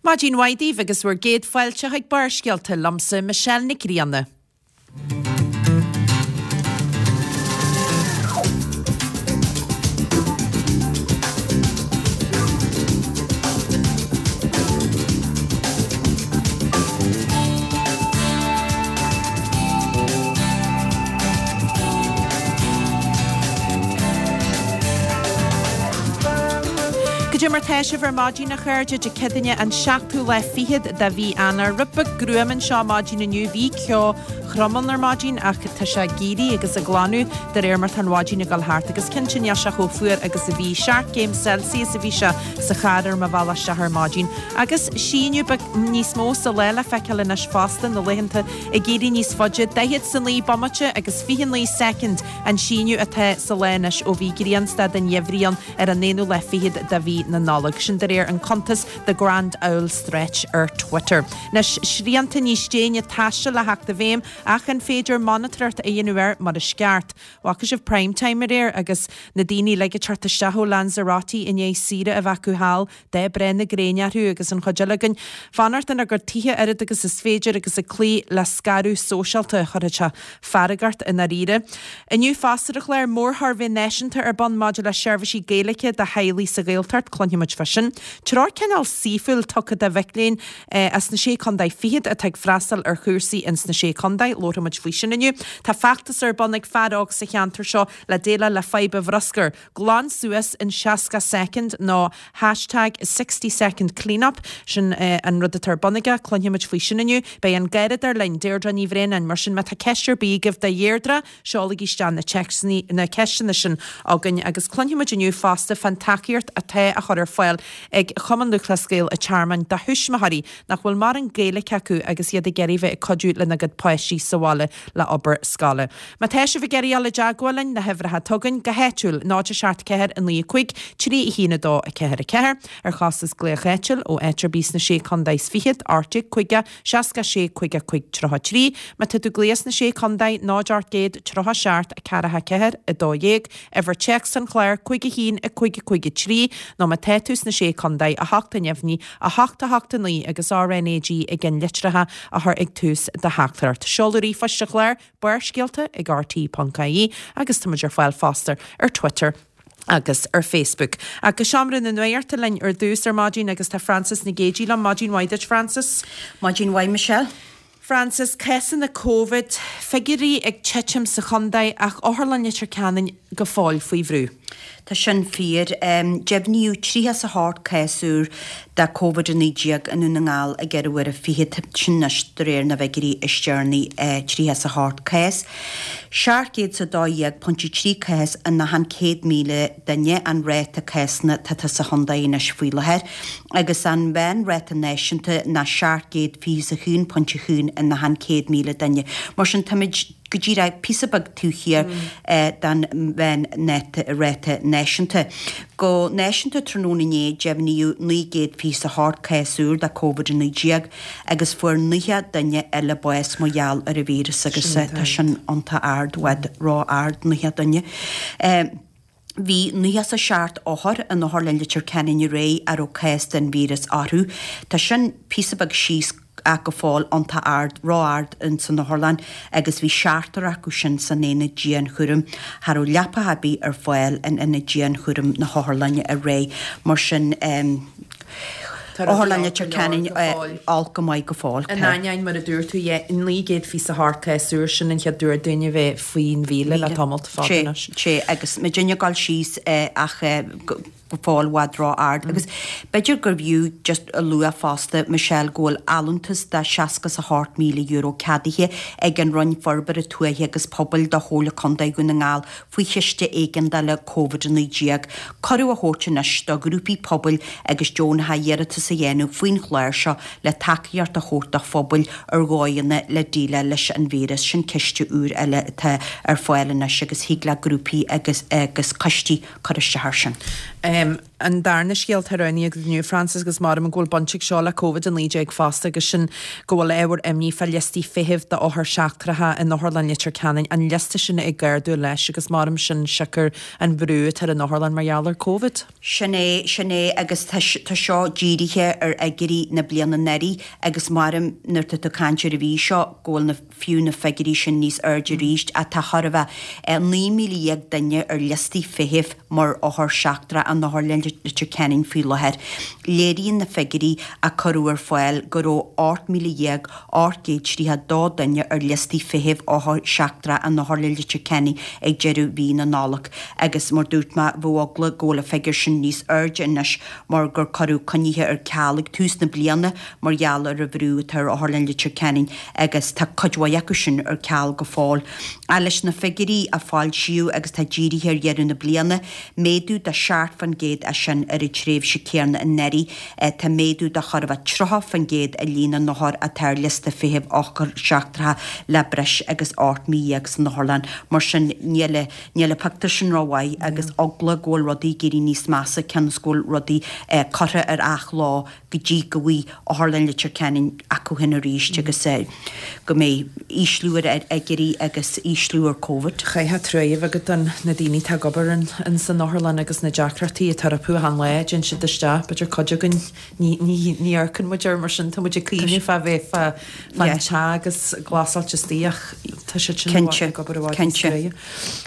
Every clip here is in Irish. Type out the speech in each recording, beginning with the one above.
Maidin mhaith daoibh agus bhur gcéad fáilte chuig Barrscéalta liomsa, Michelle Nic Grianna. Goidé mar tá sibh ar maidin a chairde, Dé Céadaoine an seachtú lá fichead de mhí Eanáir. Rud beag gruama anseo maidin inniu, bhí ceo throm ann ar maidin ach tá sé ag éirí agus ag glanadh de réir mar tá an mhaidin ag dul thart agus cinnte níl sé chomh fuar agus a bhí. 7 gcéim Celsius a bhí sé sa charr ar mo bhealach isteach ar maidin. Agus síneadh beag níos mó sa lá le feiceáil anois fosta, na laethanta ag éirí níos faide, 49 bomaite agus 29 soicind an síneadh atá sa lá anois ó bhí grianstad an gheimhridh ann ar an aonú lá fichead de mhí na Nollag. Sin de réir an cuntas The Grand Owl Stretch ar Twitter. Anois, srianta níos déine taistil le theacht i bhfeidhm ach an féidir monatóireacht a dhéanamh air mar is ceart? Bhfaca sibh Prime Time aréir agus na daoine uilig ag teacht isteach ó Lanzarote i ndiaidh saoire a bheith acu thall, dath breá na gréine orthu agus an chuid eile againn fanacht inár gcuid tithe oiread agus is féidir agus ag cloí le scaradh sóisialta. Chuirfeadh sé fearg ort i ndáiríre. Inniu fosta ar an chlár, mórshuirbhé náisiúnta ar bun maidir le seirbhísí Gaeilge do theaghlaigh sa Ghaeltacht, cluinfidh muid fá sin. Treoir cineál saoithiúil tugtha do mhic léinn as na Sé Contae Fichead atá ag freastal ar chúrsaí ins na Sé Contae, labharfaidh muid faoi sin inniu. Tá feachtas ar bun ag fear óg sa cheantar seo le déileáil le fadhb an bhruscair. Glan suas in 60 soicind nó hashtag 60 second cleanup, sin an rud atá ar bun aige, cluinfidh muid faoi sin inniu. Beidh an Garradóir linn, Deirdre Ní Bhraonáin, mar sin má tá ceist ar bith agaibh do Dheirdre, seolaigí isteach na téacsanna, na ceisteanna sin chugainn agus cluinfidh muid inniu fosta fán tacaíocht atá á chur ar fáil ag Cumann Lúthchleas Gael an Tearmainn do thuismitheoirí nach bhfuil mórán Gaeilge acu agus iad ag iarraidh bheith ag cuidiú lena gcuid páistí sa bhaile le obair scoile. Má tá sibh ag iarraidh dul i dteagmháil linn, na huimhreacha atá againn, go háitiúil, 0 7 4 9 5 3 1 2 4 4, ar chostas glaoch áitiúil ó áit ar bith sna Sé Contae is Fichead, 18 50 66 55 33. Má tá tú ag glaoch sna Sé Contae, 0 800 37 4 4 12, uimhir téacs an chláir, 5 1 5 5 3, nó má tá tú sna Sé Contae, 8 neamhní, 8 8 9 agus RnaG i gceannlitreacha a chur ag tús do theachtaireacht. Seoladh ríomhphoist an chláir, Barrscéalta ag RTÉ.ie agus tá muid ar fáil fosta ar Twitter agus ar Facebook. Ach go seomra na nuachta linn ar dtús ar maidin agus tá Frances Nic Géadaigh liom. Maidin mhaith duit, Frances. Maidin mhaith, Michelle. Frances, cásanna Covid, figiúirí ag titim sa chontae ach Otharlann Leitir Ceanainn go fóill faoi bhrú. Tá sin fíor. Deimhníodh 38 cás úr de Covid-19 i nDún na nGall i gceithre huaire fichead, sin anois de réir na bhfigiúirí is deireanaí, 38 cás. 712.3 cás in achan 100,000 duine an ráta cásanna atá sa chontae anois faoi láthair agus an meánráta náisiúnta ná 721.1 in achan 100,000 duine. Mar sin táimid. go díreach píosa beag taobh thiar den mheánráta náisiúnta. Go náisiúnta tráthnóna inné deimhníodh 928 cás úr de Covid-19 agus fuair 90 duine eile bás mar gheall ar an víreas agus tá sin iontach ard, i bhfad ró-ard, 90 duine. Bhí 97 othar in Otharlann Leitir Ceanainn aréir a raibh cás den víreas orthu. Tá sin píosa beag síos ach go fóill iontach ard, ró-ard ins an otharlann agus bhí seachtar acu sin san aonad dianchúraim. Cha raibh leapacha ar bith ar fáil in aonad dianchúraim na hotharlainne aréir. Mar sin, Otharlann Leitir Ceanainn olc go maith go fóill. In ainneoin, mar a dúirt tú, 928 cás úr, sin an chéad uair dúinn a bheith faoin mhíle le tamall fada anois. Sea, agus muidinne ag dul síos ach go fóill i bhfad ró-ard. Agus b'fhéidir gurbh fhiú just a lua fosta, Michelle, go bhfuil allúntas de €68,000 ceadaithe ag an Roinn Forbartha Tuaithe agus Pobail do Chomhairle Contae Dhún na nGall faoi Chiste Éigeandála Covid-19 cuireadh a thabhairt anois do ghrúpaí pobail agus deonacha iarratas a dhéanamh faoin chlár seo le tacaíocht a thabhairt do phobail ar dhóigheanna le déileáil leis an víreas. Sin ciste úr eile atá ar fáil anois agus thig le grúpaí agus agus coistí cur isteach air sin. An darna scéal atá roghnaithe agat inniu, Frances, agus maram go bhfuil baint ag seo le Covid-19 fosta agus sin go bhfuil ábhar imní fá liostaí feithimh d'othair seachtracha in Otharlann Leitir Ceanainn, an liosta sin ag ardú leis agus maram sin siocair an bhrú atá ar an otharlann mar gheall ar Covid. Sin é, sin é agus tá, tá seo dírithe. dírithe ar fhigiúirí na bliana anuraidh agus maram nuair atá tú ag caint ar an mhí seo go bhfuil na fiú na figiúirí sin níos airde arís ach tá chóir a bheith 19,000 duine ar liostaí feithimh mar othar seachtrach in Otharlann Leitir Ceanainn faoi láthair. Léiríonn na figiúirí a cuireadh ar fáil go raibh 18,832 duine ar liostaí feithimh othar seachtrach in Otharlann Leitir Ceanainn ag deireadh mhí na Nollag agus mar dúirt mé bheadh eagla go bhfuil an figiúr sin níos airde anois mar gur cuireadh coinnithe ar ceal ag tús na bliana mar gheall ar an bhrú atá ar Otharlann Leitir Ceanainn agus tá cuid mhaith acu sin ar ceal go fóill. Ach leis na figiúirí a foilsíodh agus atá dírithe ar dheireadh na bliana, méadú de 7% é sin ar an tréimhse céanna anuraidh. Tá méadú de chóir a bheith 30% i líon na n-othar atá ar liosta feithimh othar seachtracha le breis agus 18 mí san otharlann. Mar sin níl níl an pictiúr sin rómhaith agus eagla go bhfuil rudaí ag éirí níos measa cionn is go bhfuil rudaí curtha ar athló go dtí go bhfaighidh Otharlann Leitir Ceanainn acu féin arís agus go mbeidh ísliú ar fhigiúirí agus ísliú ar Covid. Chaithfeadh trua a bheith agat do na daoine atá ag obair in san otharlann agus na deacrachtaí atá orthu achan lá a dtéann siad isteach. B'fhéidir cuid againn ní ní ní amharcann muid air mar sin, tá muid ag cuimhneamh fá bheith fá fán te agus glasáilte istigh ach tá siad sin ag obair i bhfad níos Cinnte.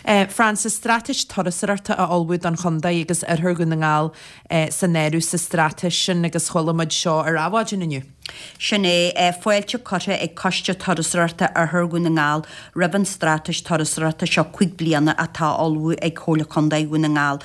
crua. Frances, Straitéis turasóireachta á ullmhú don chontae agus Oirthear Dhún na nGall san áireamh sa straitéis sin agus chuala muid seo ar Adhmhaidin inniu. Sin é, fáilte curtha ag Coiste Turasóireachta Oirthear Dhún na nGall roimh an straitéis turasóireachta seo 5 bliana atá á ullmhú ag Comhairle Contae Dhún na nGall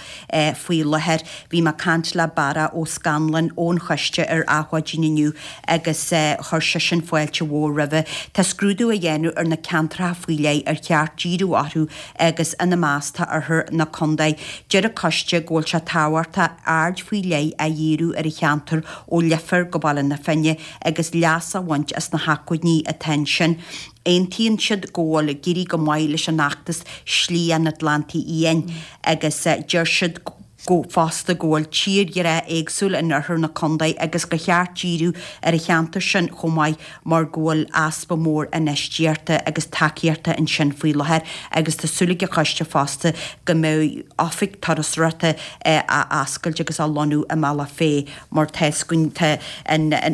faoi láthair. Bhí mé ag caint le Barra Ó Scanláin ón choiste ar Adhmhaidin inniu agus chuir seisean fáilte mhór roimhe. Tá scrúdú á dhéanamh ar na ceantracha faoi leith ar cheart díriú orthu agus ina measc tá oirthear na contae. Deir an coiste go bhfuil sé tábhachtach aird faoi leith a dhíriú ar an cheantar ó Leifear go Baile na Finne agus leas a bhaint as na hacmhainní atá ansin. Aontaíonn siad go bhfuil ag éirí go maith leis an fheachtas Slí an Atlantaigh Fhiáin agus deir siad go fosta go bhfuil tírdhreach éagsúil in oirthear na contae agus gur cheart díriú ar an cheantar sin chomh maith mar go bhfuil easpa mór infheistíochta agus tacaíochta ansin faoi láthair agus tá súil ag an choiste fosta go mbeidh oifig turasóireachta á oscailt agus á lonnú i mBealach Féich mar tá 'fhios againn tá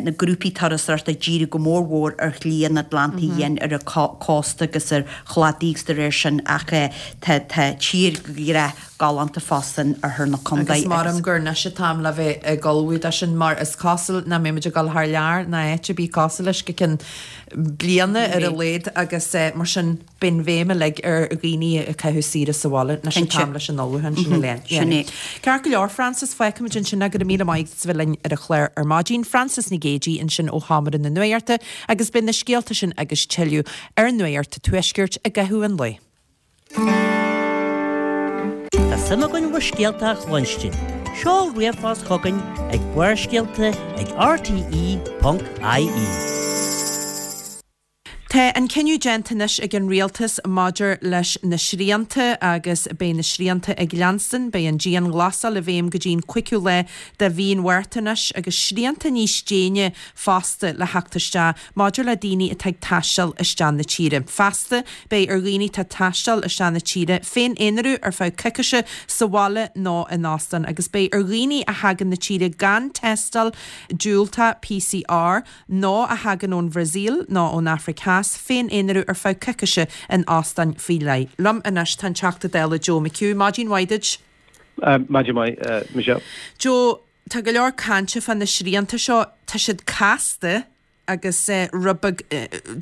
na grúpaí turasóireachta ag díriú go mór mhór ar Shlí an Atlantaigh Fhiáin ar an cósta agus ar chladaí agus de réir sin ach tá tírdhreach galánta fosta in oirthear na contae agus. Agus maram gur anois an t-am le bheith ag ullmhú dó sin mar is cosúil nach mbeidh muid ag dul thar lear ná áit ar bith cosúil leis go ceann bliana ar a laghad agus mar sin beidh an bhéim uilig ar dhaoine ag caitheamh saoire sa bhaile. Anois an t-am leis an ullmhúchán sin a Sin é. Ceart go leor, Frances, fágfaimid ansin é. Go raibh míle maith agat as a bheith linn ar an chlár ar maidin. Frances Nic Géadaigh ansin ó Sheomra na Nuachta agus beidh na scéalta sin agus tuilleadh ar Nuacht an Tuaiscirt i gcaitheamh an lae. Tá suim againn bhur scéalta a chluinstin. Seol ríomhphost chugainn ag barrscéalta ag rte.ie. Tá an cinneadh déanta anois ag an Rialtas maidir leis na srianta agus beidh na srianta ag leanstan. Beidh an dianghlasáil i bhfeidhm go dtí an 5ú lá de mhí an Mhárta anois agus srianta níos déine fosta le theacht isteach maidir le daoine atá ag taisteal isteach na tíre. Feasta, beidh ar dhaoine atá ag taisteal isteach na tíre féin-aonarú ar feadh coicise sa bhaile nó in óstán agus beidh ar dhaoine a thagann na tíre gan tástáil diúltach PCR nó a thagann ón Bhrasaíl nó ón Afraic Theas féin-aonarú ar feadh coicise in óstáin faoi leith. Liom anois tá an Teachta Dála Joe McHugh. Maidin mhaith duit. Maidin mhaith, Michelle. Joe, Tá go leor cainte fá na srianta seo, tá siad casta agus rud beag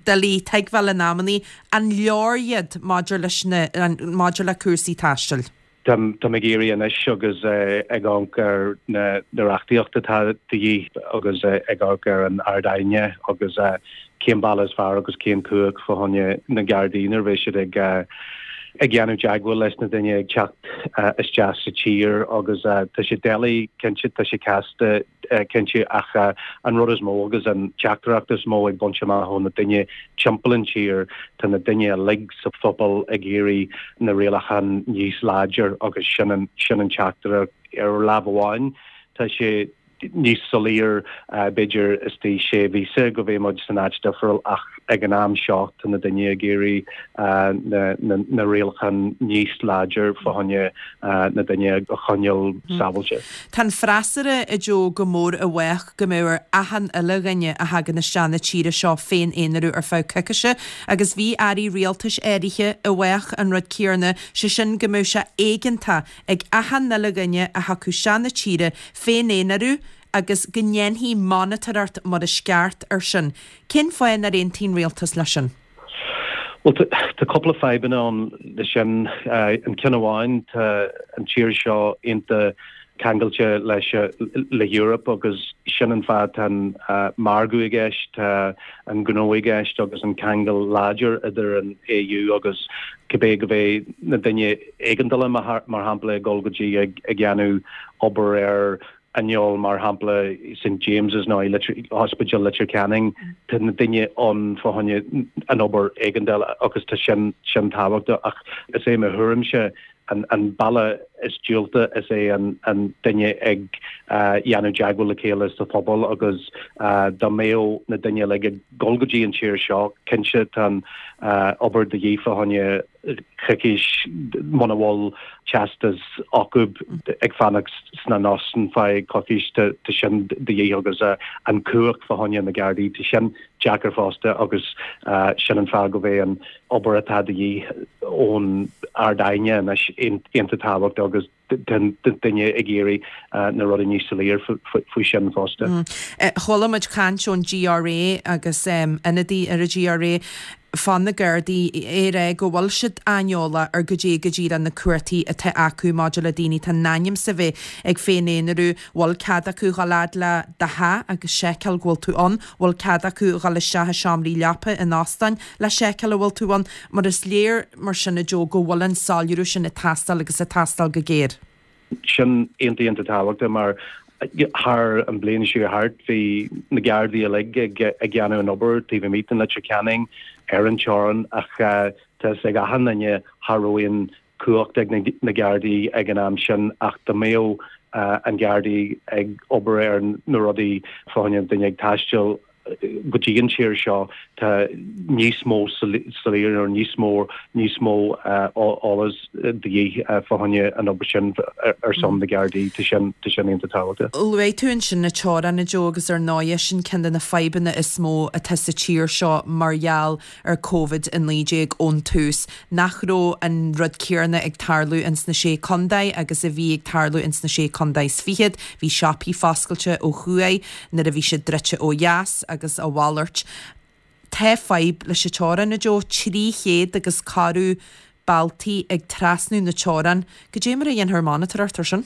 doiligh tuigbheáil in amannaí. An leor iad maidir leis na, maidir le cúrsaí taistil? Táim ag iarraidh anois agus ag amharc ar na reachtaíocht atá de dhíth agus ag amharc ar an Ard-Aighne agus cén bealach is fearr agus cén cumhacht fá choinne na Gardaí nuair a bheidh siad ag ag déanamh teagmháil leis na duine ag teacht isteach sa tír agus tá sé doiligh cinnte, tá sé casta cinnte ach an rud is mó agus an teachtaireacht is mó ag baint amach ó na duine timpeall an tír, tá na duine uilig sa phobal ag iarraidh na rialacháin níos láidir agus sin an sin an teachtaireacht ar lámh amháin tá sé. níos soiléir b'fhéidir istigh sé mhíosa go mbeidh muid san áit difriúil ach ag an am seo tá na daoine ag iarraidh na rialacháin níos láidir fá choinne na daoine a choinneáil sábháilte. Tá an freasúra, a Joe, go mór i bhfách go mbeadh ar achan uile dhuine a thagann isteach na tíre seo féin-aonarú ar feadh coicise agus bhí airí rialtais áirithe i bhfách an rud céarna, sé sin go mbeadh sé éigeantach ag achan uile dhuine a thiocfadh isteach na tíre féin-aonarú agus go ndéanfaí monatóireacht mar is ceart ar sin. Cén fáth nár aontaigh an rialtas leis sin? Bhuel, tá cúpla fadhbanna ann leis sin. An ceann amháin, tá an tír seo iontach ceangailte leis le Europe agus sin an fáth tá an margadh i gceist, tá an gnó i gceist agus an ceangal láidir idir an AU agus cibé go mbeidh na daoine éigeandála mar shampla ag dul go dtí ag dhéanamh obair ar inneall mar shampla St James's nó i Ospidéal Leitir Ceanainn tá na daoine ann fá choinne an obair éigeandála agus tá sin sin tábhachtach ach is é mo thuairimse an an bealach is diúlta is é an an duine ag dhéanamh teagmháil le chéile sa phobal agus dá mbeadh na daoine uilig ag dul go dtí an tír seo cinnte tá an obair de dhíth fá choinne coicís muna bhfuil teastas acu ag fanacht sna n-óstáin feadh coicís tá sin de dhíth agus an cumhacht fá choinne na Gardaí tá sin deacair fosta agus sin an fáth go bheidh an obair atá de dhíth ón Ard-Aighne anois iontach tábhachtach agus duine ag iarraidh na rudaí níos soiléir faoi sin fosta. Chuala muid caint ón GRA agus ionadaí ar an GRA fá na Gardaí ag rá go bhfuil siad aineolach ar goidé go díreach na cumhachtaí atá acu maidir le daoine atá in ainm 's a bheith ag féin-aonarú, bhfuil cead acu dhul fhad le do theach agus seiceáil go bhfuil tú ann, bhfuil cead acu dhul isteach i seomraí leapa in óstáin le seiceáil an bhfuil tú ann, mar is léir mar sin a Joe go bhfuil an soiléiriú sin ag teastáil agus ag teastáil go géar. Sin iontach iontach tábhachtach mar thar an bliain seo thart bhí na Gardaí uilig ag ag dhéanamh an obair taobh amuigh den Leitir Ceanainn ar an teorainn ach tá fhios ag achan duine cha raibh aon cumhacht ag na Gardaí ag an am sin ach dá mbeadh an Gardaí ag obair ar na rudaí fá choinne duine ag taisteal go dtí an tír seo tá níos mó soiléir nó níos mó níos mó eolas de dhíth fá choinne an obair sin ar son na Gardaí tá sin tá sin iontach tábhachtach. Luaigh tú ansin na teorainn a Joe agus ar ndóighe sin ceann de na fadhbanna is mó atá sa tír seo mar gheall ar Covid-19 ón tús, nach raibh an rud céarna ag tarlú ins na Sé Contae agus a bhí ag tarlú ins na Sé Contae is Fichead. Bhí siopaí foscailte ó thuaidh nuair a bhí siad druidte ó dheas agus a mhalairt. Tá fadhb leis an teorainn, a Joe, 300 agus corradh bealtaí ag trasnú na teorann. Goidé mar a dhéanfar monatóireacht ar sin?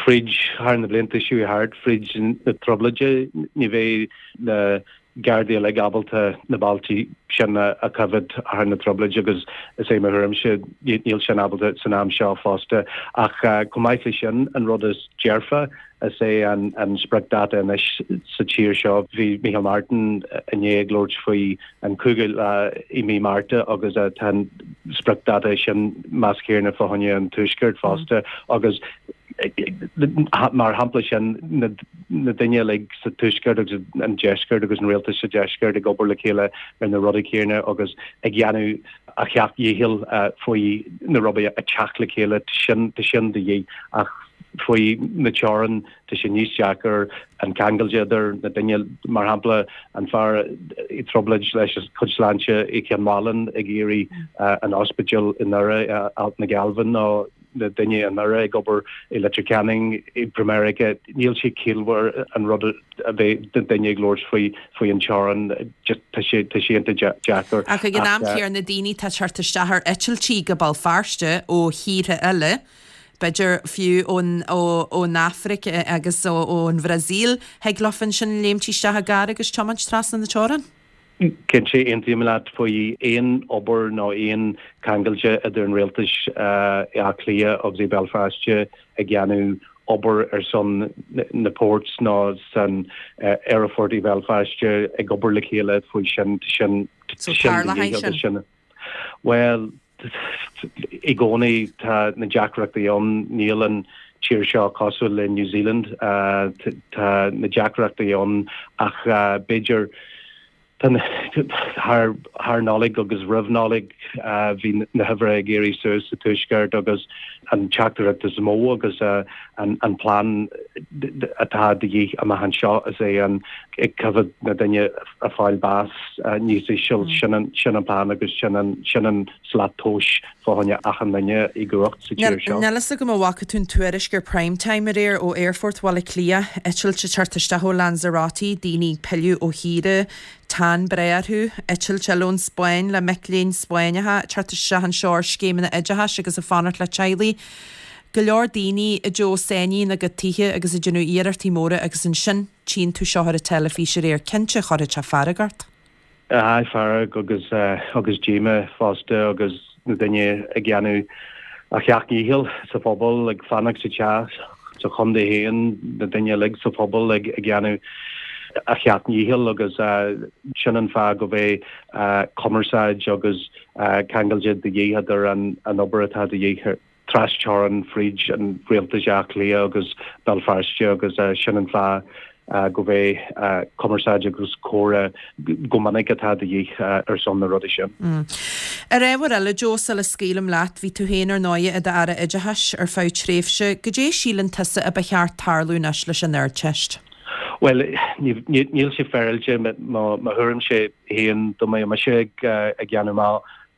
Fríd thar na blianta seo thart, fríd na trioblóide, ní bheidh na Gardaí uilig ábalta na bealtaí sin a choimhéad thar na trioblóide agus is é mo thuairimse níl sin ábalta san am seo fosta. Ach chomh maith le sin, an rud is dearfa is é an spriocdháta anois sa tír seo. Bhí Micheál Martin inné ag labhairt faoi an cúigiú lá i mí Márta agus tá an spriocdháta sin meas céarna fá choinne an Tuaiscirt fosta agus mar shampla sin na daoine uilig sa Tuaisceart agus an Deisceart agus an rialtas sa Deisceart ag obair le chéile ar na rudaí céanna agus ag dhéanamh a sheacht dhícheall faoi na rudaí a teacht le chéile sin tá sin de dhíth ach faoi na teorann tá sé níos deacair an ceangal idir na daoine mar shampla an fear i dtrioblóid leis a chuid sláinte i gCionn Mhálanna ag iarraidh an ospidéal i nDoire Alt na Gealbhan nó na daoine i nDoire ag obair i Leitir Ceanainn i Meiriceá níl sé ciallmhar an rud a bheith duine ag labhairt faoi faoi an teorainn tá sé tá sé iontach deacair. Ach ag an am céanna daoine atá ag teacht isteach ar eitiltí go Béal Feirste ó thíortha eile, b'fhéidir fiú ón ón Afraic agus ón Bhrasaíl, thig leofa ansin léimt isteach i gcarr agus tiomáint trasna na teorann. Cinnte, aontaím leat faoi aon obair nó aon ceangailte idir an rialtais i Áth Cliath agus i Béal Feirste ag dhéanamh obair ar son na ports nó san aerfort i Bhéal Feirste ag obair le chéile faoi sin sin So tarlóidh sin? Bhuel, i gcónaí tá na deacrachtaí ann, níl an. tír seo cosúil le New Zealand. Tá na deacrachtaí ann ach b'fhéidir thar Nollaig agus roimh Nollaig bhí na huimhreacha ag éirí suas sa Tuaisceart agus an teachtaireacht is mó agus an plean atá de dhíth amach anseo is é an ag coimhéad na daoine ag fáil bás níos íseal. Sin an plean agus sin an slat tomhais fá choinne achan duine i gcumhacht sa tír seo. Níl fhios agam an bhfaca tú an tuairisc ar Prime Time aréir ó Aerfort Bhaile Átha Cliath, eitilt ag teacht isteach ó Lanzarote, daoine ag pilleadh ó shaoire, tan breá orthu, eitilt eile ón Spáinn le mic léinn Spáinneacha ag teacht isteach anseo ar scéimeanna oideachais agus ag fanacht le teaghlaigh. Go leor daoine a Joe sáinnithe ina gcuid tithe agus ag déanamh iarrachtaí móra agus ansin tchíonn tú seo ar an teilifís aréir, cinnte chuirfeadh sé fearg ort. Aye, fearg agus agus díomá fosta agus na daoine ag déanamh a sheacht ndícheall sa phobal ag fanacht sa teach sa chontae féin, na daoine uilig sa phobal ag déanamh a sheacht ndícheall agus sin an fáth go bheidh cumarsáid agus ceangailte de dhíth idir an obair atá de dhíth trasteorann fríd an rialtas Átha Cliath agus Béal Feirste agus sin an fáth go bheidh cumarsáid agus comhrá go minic atá de dhíth ar son na rudaí sin. Ar ábhar eile, Joe, sula scaoilim leat, bhí tú féin ar ndóighe i d'Aire Oideachais ar feadh tréimhse. Goidé síleann tusa a ba cheart tarlú anois leis an Ardteist? Bhuel, níl sé féaráilte, mo thuairimse féin, dá mbeadh mise ag déanamh mo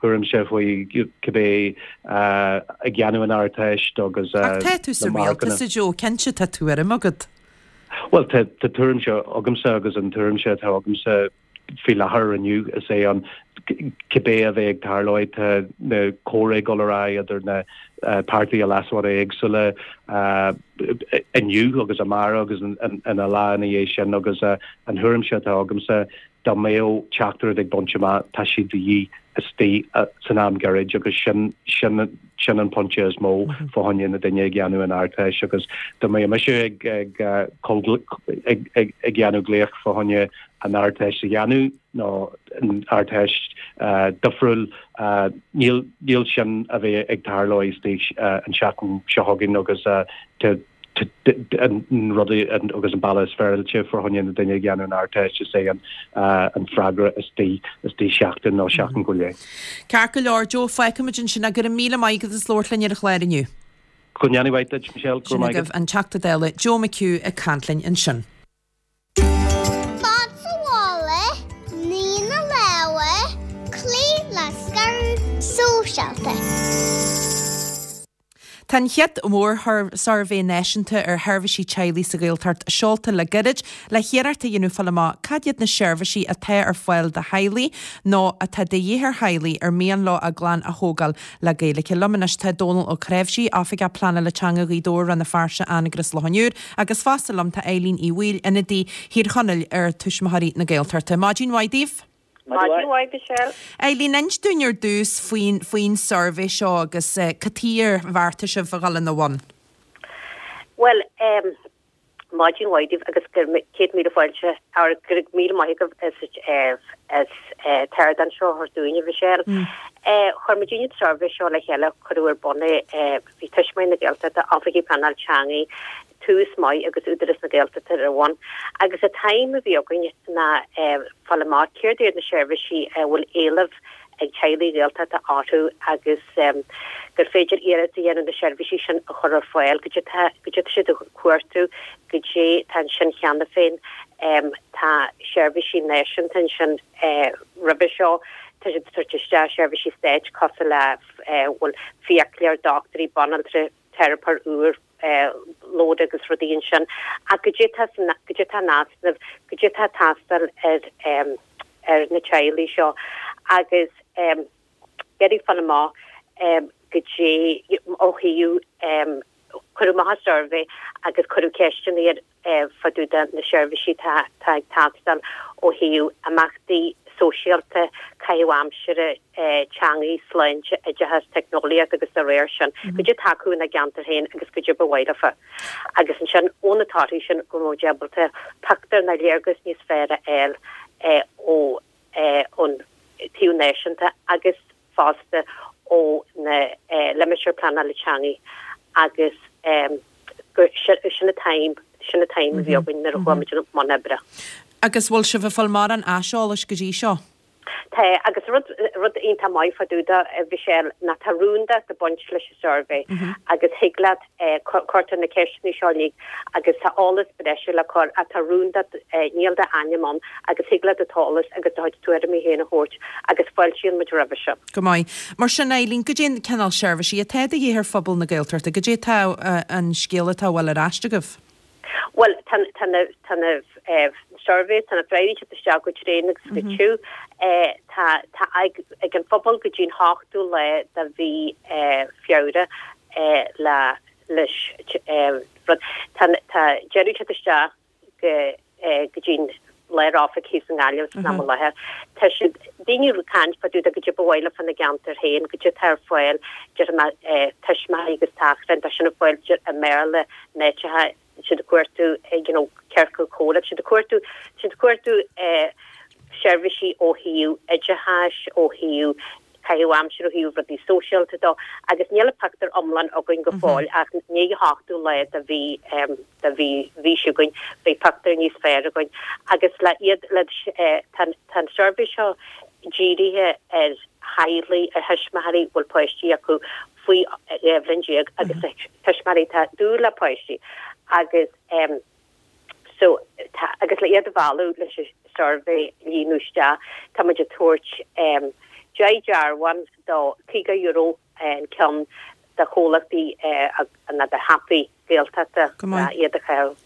thuairimse faoi cibé ag déanamh an Ardteist agus Ach tá tú sa rialtas, a Joe, cinnte tá tuairim agat. Bhuel, tá tuairimse agamsa agus an tuairimse atá agamsa faoi láthair inniu is é an cibé a bheidh ag tarlóidh tá na comhrá ag dul ar aghaidh idir na páirtithe leasmhara éagsúla inniu agus amárach agus ina lá ina dhiaidh sin agus an thuairimse atá agamsa Dá mbeadh teachtaireacht ag baint amach, tá sé de dhíth istigh san am gairid agus sin, sin, sin an pointe is mó fá choinne na duine ag dhéanamh an Ardteist agus dá mbeadh mise ag, ag, ag, ag, ag dhéanamh glaoch fá choinne an Ardteist a dhéanamh nó an Ardteist difriúil, níl, níl sin a bheith ag tarlú istigh an tseachtain seo chugainn agus tá, an rud agus an bealach is féaráilte fá choinne na duine ag dhéanamh an Ardteist is é an freagra istigh istigh seachtain nó seachtain go leith. Ceart go leor, Joe, fágfaimid ansin é. Go raibh míle maith agat as labhairt linn ar an chlár inniu. Go ndéana mhaith duit, Michelle. Go raibh Sin maith agat. agaibh an Teachta Dála Joe McHugh ag caint linn ansin. Fad sa mhála, ní na lámha, cloí le scaradh sóisialta. Tá an chéad mhór-suirbhé náisiúnta ar sheirbhísí teaghlaigh sa Ghaeltacht seolta le gairid le hiarracht a dhéanamh fáil amach cad iad na seirbhísí atá ar fáil do theaghlaigh nó atá de dhíth ar theaghlaigh ar mian leo a gclann a thógáil le Gaeilge. Liom anois tá Dónal Ó Cnáimhsí, Oifigeach Pleanála Teanga Ghaoth Dobhair, Rann na Feirste, Anagaire is Loch an Iúir, agus fosta liom tá Eileen Uí Bhaoill, ionadaí Thír Chonaill ar Tuismitheoirí na Gaeltachta. Maidin mhaith daoibh! Maidin mhaith, Michelle. Eileen, inis dúinn ar dtús faoin faoin suirbhé seo agus cad chuige ar bheartaigh sibh a dhul ina bhun. Bhuel, em, maidin mhaith daoibh agus go raibh 100,000 fáilte, or go raibh míle maith agaibh as as an t-ardán seo a thabhairt dúinn, a Mhichelle. Chuir muidinne an suirbhé seo le chéile, cuireadh ar bun é, bhí Tuismitheoirí na Gaeltachta, Oifigigh Pleanáil Teanga, Tús Maith agus Údarás na Gaeltachta ar a bhun. Agus an t-aidhm a bhí againn ná fáil amach céard iad na seirbhísí a bhfuil éileamh ag teaghlaigh Ghaeltachta orthu agus gur féidir iarracht a dhéanamh na seirbhísí sin a chur ar fáil, goidé tá goidé tá siad ag cuartú, goidé tá ansin cheana féin. Tá seirbhísí náisiúnta ansin roimhe seo, tá siad ag tabhairt isteach seirbhísí stáit cosúil le bhuel fiaclóir, dochtúirí, banaltra, teiripeoir úr, lód agus rudaí ansin ach goidé tá san goidé tá in easnamh, goidé tá ag teastáil ar ar na teaghlaigh seo agus iarraidh fáil amach goidé ó thaobh cuireadh amach an suirbhé agus cuireadh ceisteanna ar fá dtaobh de na seirbhísí atá ag teastáil ó thaobh imeachtaí sóisialta, caitheamh aimsire, teangaí, sláinte, oideachas, teicneolaíocht agus dá réir sin. Goidé atá acu ina gceantar féin agus goidé ba mhaith leofa. Agus ansin ó na torthaí sin go mbeadh muid ábalta pictiúr nó léargas níos fearr a fháil ó ón taobh náisiúnta agus fosta ó na limistéir pleanála teangaí agus. Gur sin an t-aidhm, sin an t-aidhm a bhí againn nuair a chuaigh muid i mbun oibre. Agus bhfuil sibh ag fáil mórán aiseolais go dtí seo? Tá, agus rud, rud iontach maith fá dtaobh de, a Mhichelle, ná tá rúndacht ag baint leis an suirbhé agus thig leat, cuirtear na ceisteanna seo uilig agus tá eolas breise le cur ach tá rúndacht, níl d'ainm ann agus thig leat do eolas agus do chuid tuairimí féin a thabhairt agus fáiltíonn muid roimhe sin. Go maith. Mar sin, Eileen, goidé an cineál seirbhísí atá de dhíth ar phobal na Gaeltachta? Goidé atá an scéal atá a bhfuil ar ais agaibh? Bhuel, tá tá na tá na surveys, tá na freagraí ag teacht isteach go tréan agus go tiubh. Tá tá ag ag an phobal go dtí an hochtú lá de mhí Feabhra le leis rud. Tá tá deireadh ag teacht isteach go go dtí an Lár-Oifig thíos i nGaillimh san am i láthair. Tá siad, daoine ag caint fá dtaobh de goidé ba mhaith leo fá na gceantair féin, goidé atá ar fáil, déarfaidh mé, tuismitheoirí agus tachráin, tá sin ar fáil i mBéarla in áiteacha, tá siad ag cuartú you know ciorcal comhrá, tá siad ag cuartú, tá siad ag cuartú seirbhísí ó thaobh oideachais, ó thaobh caitheamh aimsire, ó thaobh rudaí sóisialta dó agus níl an pictiúr iomlán againn go fóill ach i ndiaidh an hochtú lá de mhí de mhí mhí seo chugainn beidh pictiúr níos fearr againn agus le iad le tá tá an suirbhé seo dírithe ar theaghlaigh ar thuismitheoirí a bhfuil páistí acu faoi 12 bhliain agus tuismitheoirí atá ag dúil le páistí agus So, tá, agus le iad a mhealladh leis an suirbhé a líonadh isteach, tá muid ag tabhairt 10 dearbhán do €50 an ceann do chomhlachtaí nó do shiopaí Gaeltachta Go maith. le iad a chaitheamh.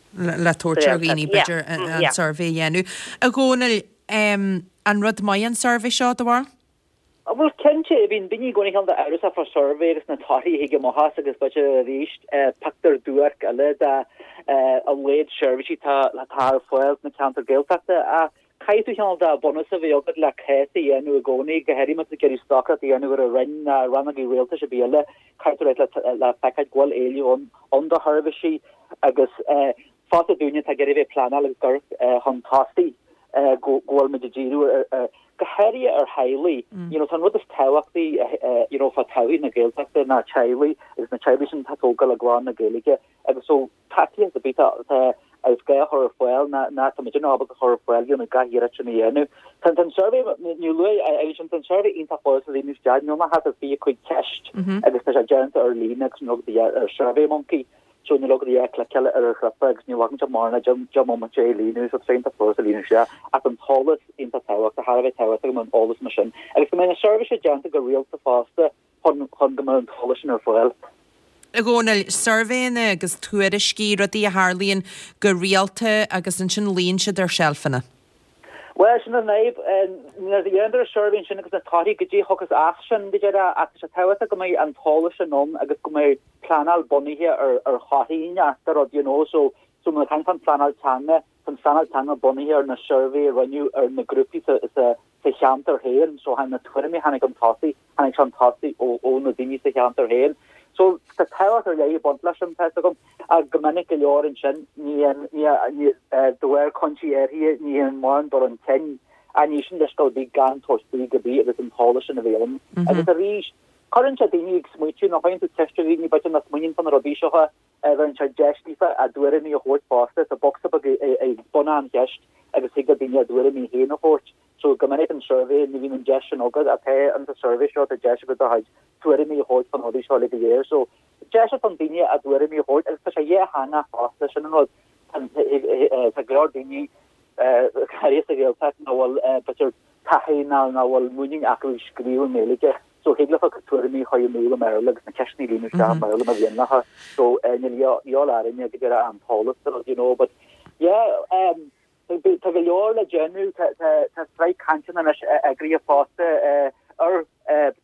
Le tabhairt ar dhaoine, b'fhéidir, an suirbhé a dhéanamh. A Dhónaill, an rud maith an suirbhé seo, do bharúil? Bhuel, cinnte, bíonn daoine i gcónaí cineál de amhrasach fá suirbhé agus na torthaí a thig amach as agus b'fhéidir arís pictiúr duairc eile de a laghad seirbhísí atá ar fáil sna ceantair Gaeltachta. Ach caithfidh tú cineál de bunús a bheith agat le cás a dhéanamh i gcónaí, go háirithe má tá tú ag iarraidh stocaireacht a dhéanamh ar an Roinn ná rannógaí rialtais ar bith eile, caithfidh tú le le feiceáil go bhfuil éileamh ann do sheirbhísí agus fosta dúinne atá ag iarraidh a bheith ag pleanáil agus ag amharc chun tosaigh go bhfuil muid ag díriú ar go háirithe ar theaghlaigh. You know, tá an rud is tábhachtaí you know, fá todhchaí na Gaeltachta ná teaghlaigh agus na teaghlaigh sin atá ag tógáil a gclann le Gaeilge agus so tacaíocht ar bith atá is gá a chur ar fáil ná ná tá muid ábalta a chur ar fáil you know, gach iarracht sin a dhéanamh. Tá an suirbhé níor luaigh é sin tá an suirbhé iontach furast a líonadh isteach, níl ach thart ar 25 ceist agus tá sé déanta ar líne agus nó ar SurveyMonkey. So níl ach a chliceáil ar an chnaipe agus ní bhfaigheann sé mórán 10 mbomaite é a líonadh, so tá sé iontach furast a líonadh isteach. Ach an t-eolas iontach tábhachtach, thar a bheith tábhachtach go mbeadh an eolas mar sin. Agus go mbeidh na seirbhísí déanta go rialta fosta chun chun go mbeadh an t-eolas sin ar fáil. A Dhónaill, suirbhéanna agus tuairiscí, rudaí a tharlaíonn go rialta agus ansin luíonn siad ar seilfeanna. Bhuel, sin an fhadhb. Nuair a dhéantar an suirbhé ansin agus na torthaí goidé a thiocfas as sin, go deireadh, ach tá sé tábhachtach go mbeidh an t-eolas sin ann agus go mbeidh pleanáil bunaithe ar ar thorthaí de rud, you know. So, so má tá an phleanáil teanga, tá an phleanáil teanga bunaithe ar na suirbhé a rinneadh ar na grúpaí sa, sa, sa cheantar féin. So, na tuairimí a tháinig chun tosaigh, tháinig sé chun tosaigh ó, ó na daoine sa cheantar féin. So, tá tábhacht ar leith ag baint leis sin, tá 'fhios agam. Ach go minic go leor ansin, ní, ní, ní, de bharr cúinsí áirithe, ní dhéanann mórán dul chun cinn. Ach ní sin leithscéal ar bith gan tabhairt faoi go bith agus an t-eolas sin a bheith ann. Agus arís, cuireann sé daoine ag smaoitiú, nuair a chuireann tú ceist ar dhaoine, b'fhéidir nach smaoiníonn fá na rudaí seo, bheireann sé deis daofa a dtuairimí a thabhairt fosta. Tá bocsa beag ag bun an cheist agus thig le daoine a dtuairimí féin a thabhairt. So go minic an suirbhé, ní bhíonn an deis sin agat ach tá an suirbhé seo, tá deis agat do chuid tuairimí a thabhairt fá na rudaí seo uilig go léir. So deis don daoine a dtuairimí a thabhairt agus tá sé dhátheangach fosta, sin an rud. Tá go leor daoine, go háirithe sa Ghaeltacht, nach bhfuil b'fhéidir taithí ná nach bhfuil muinín acu ag scríobh i nGaeilge. So thig leofa a gcuid tuairimí a chur in iúl i mBéarla agus na ceisteanna a líonadh isteach i mBéarla má mhian leofa. So níl dhíobháil orainne go deireadh an t-eolas do you know but yeah um, tá go leor le déanamh tá sraith cainteanna anois eagraithe fosta ar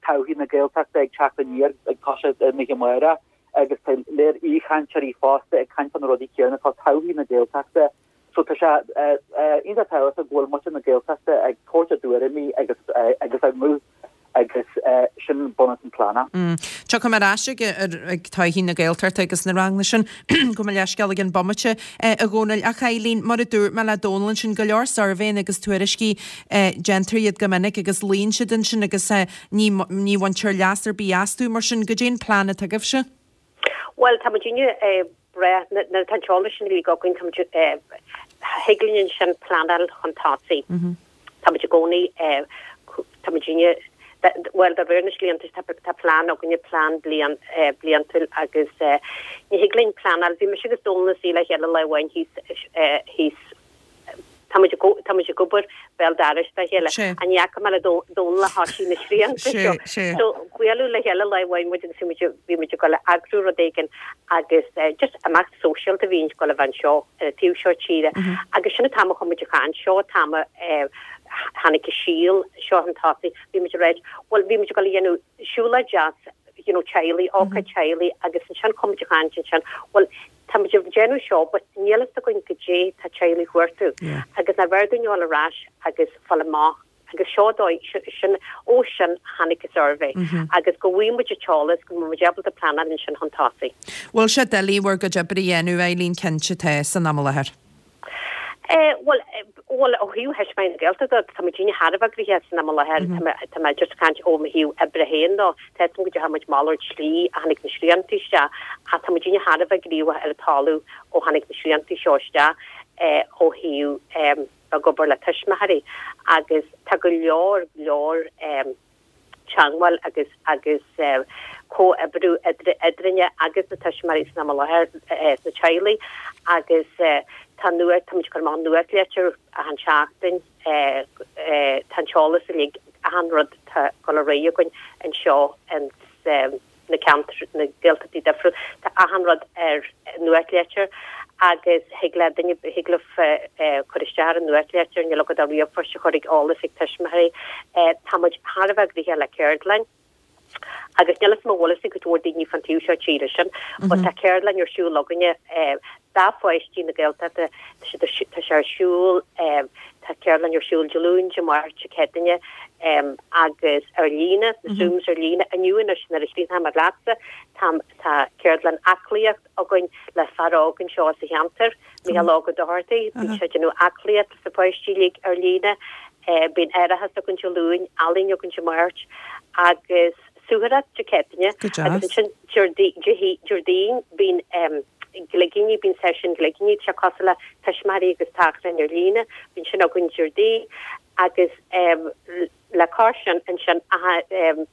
todhchaí na Gaeltachta ag teacht aniar ag toiseacht an oíche amárach agus tá léir aoichainteoirí fosta ag caint fá na rudaí céanna fá todhchaí na Gaeltachta. So tá sé iontach tábhachtach go bhfuil muintir na Gaeltachta ag tabhairt a dtuairimí agus agus a nguth agus sin bunús an phlean. Tiocfaidh mé ar ais ag todhchaí na Gaeltachta agus na ranganna sin, gabh mo leithscéal i gcionn bomaite, a Dhónaill. Ach Eileen, mar a dúirt mé le Dónal ansin, go leor suirbhéanna agus tuairiscí, déantar iad go minic agus luíonn siad ansin agus ní ní bhaintear leas ar bith astu. Mar sin, goidé an plean atá agaibhse? Bhuel, tá muidinne. breá. Nuair atá an t-eolas sin uilig againn, tá muid, thig linn ansin pleanáil chun tosaigh. Tá muid i gcónaí, tá muid inne, bhuel, de réir na srianta, tá plean againne, plean bliain, bliantúil agus ní thig linn pleanáil. Bhí mise agus Dónal ina suí le chéile lá amháin thíos, thíos, tá muid, tá muid ag obair béal dorais dá chéile. Ach ní fhaca mé le Dónal ó thoisigh na srianta seo. So buaileadh le chéile lá amháin muid agus bhí muid, bhí muid ag dul a eagrú rud éigin agus just imeacht sóisialta a bhí ag dul a bheith anseo ar an taobh seo tíre agus sin an t-am a chuaigh muid ag caint, seo an t-am a tháinig an síol seo chun tosaigh, bhí muid ag ráit, bhuel bhí muid ag dul a dhéanamh siúlóid deas you know teaghlaigh, ócáid teaghlaigh agus ansin chuaigh muid ag caint ansin, bhuel tá muid ag déanamh seo but níl fhios againn goidé tá teaghlaigh ag cuartú agus nár bhfearr dúinn a dhul ar ais agus fáil amach Agus seo dóigh, sin, ó sin tháinig an suirbhé agus go bhfaighidh muid an t-eolas, go mbeidh muid ábalta pleanáil ansin chun tosaigh. Bhfuil sé doiligh bhur gcuid oibre a dhéanamh, Eileen, cinnte tá, san am i láthair. Eh, bhuel, bhuel, ó thaobh Thuismitheoirí na Gaeltachta, tá muidinne thar a bheith gnoitheach san am i láthair, tá mé, tá mé just ag caint ó mo thaobh oibre féin dó, tá fhios agam go ndeachaigh muid malairt slí ó tháinig na srianta isteach, ach tá muidinne thar a bheith gníomhach ar an talamh ó tháinig na srianta seo isteach, eh, ó thaobh, eh, ag obair le tuismitheoirí agus tá go leor leor teangmháil agus agus comhoibriú eadrainne agus na tuismitheoirí san am i láthair sna teaghlaigh agus tá nuacht tá muid ag cur amach nuachtlitir achan seachtain tá an t-eolas uilig achan rud tá ag dul ar aghaidh againn anseo ins na ceantair, na Gaeltachtaí difriúil, tá achan rud ar nuachtlitir agus thig le duine, thig libh cur isteach ar an nuachtlitir, níl agat ach ríomhphost a chur ag eolas ag tuismitheoirí. Tá muid thar a bheith gnoitheach le ceardlann agus níl fhios agam an bhfuil fhios ag cuid mhór daoine fan taobh seo tíre sin, but tá ceardlann ar siúl againne do pháistí na Gaeltachta, tá sé ar siúl, tá ceardlann ar siúl Dé Luain, Dé Máirt, Dé Céadaoine agus ar líne, na Zooms ar líne. Inniu anois nuair a chríochnóidh mé leatsa, tá tá ceardlann aclaíocht againn le fear óg anseo sa cheantar, Micheál Óg Ó Dochartaigh, bíonn sé ag déanamh aclaíocht leis na páistí uilig ar líne. Bíonn aireachas againn Dé Luain, ealaín againn Dé Máirt agus suathaireacht Dé Céadaoine agus ansin Déardaoin bíonn gligíní, bíonn seisiún gligíní, tá sé cosúil le tuismitheoirí agus tachráin ar líne, bíonn sin againn Déardaoin agus le cois sin ansin an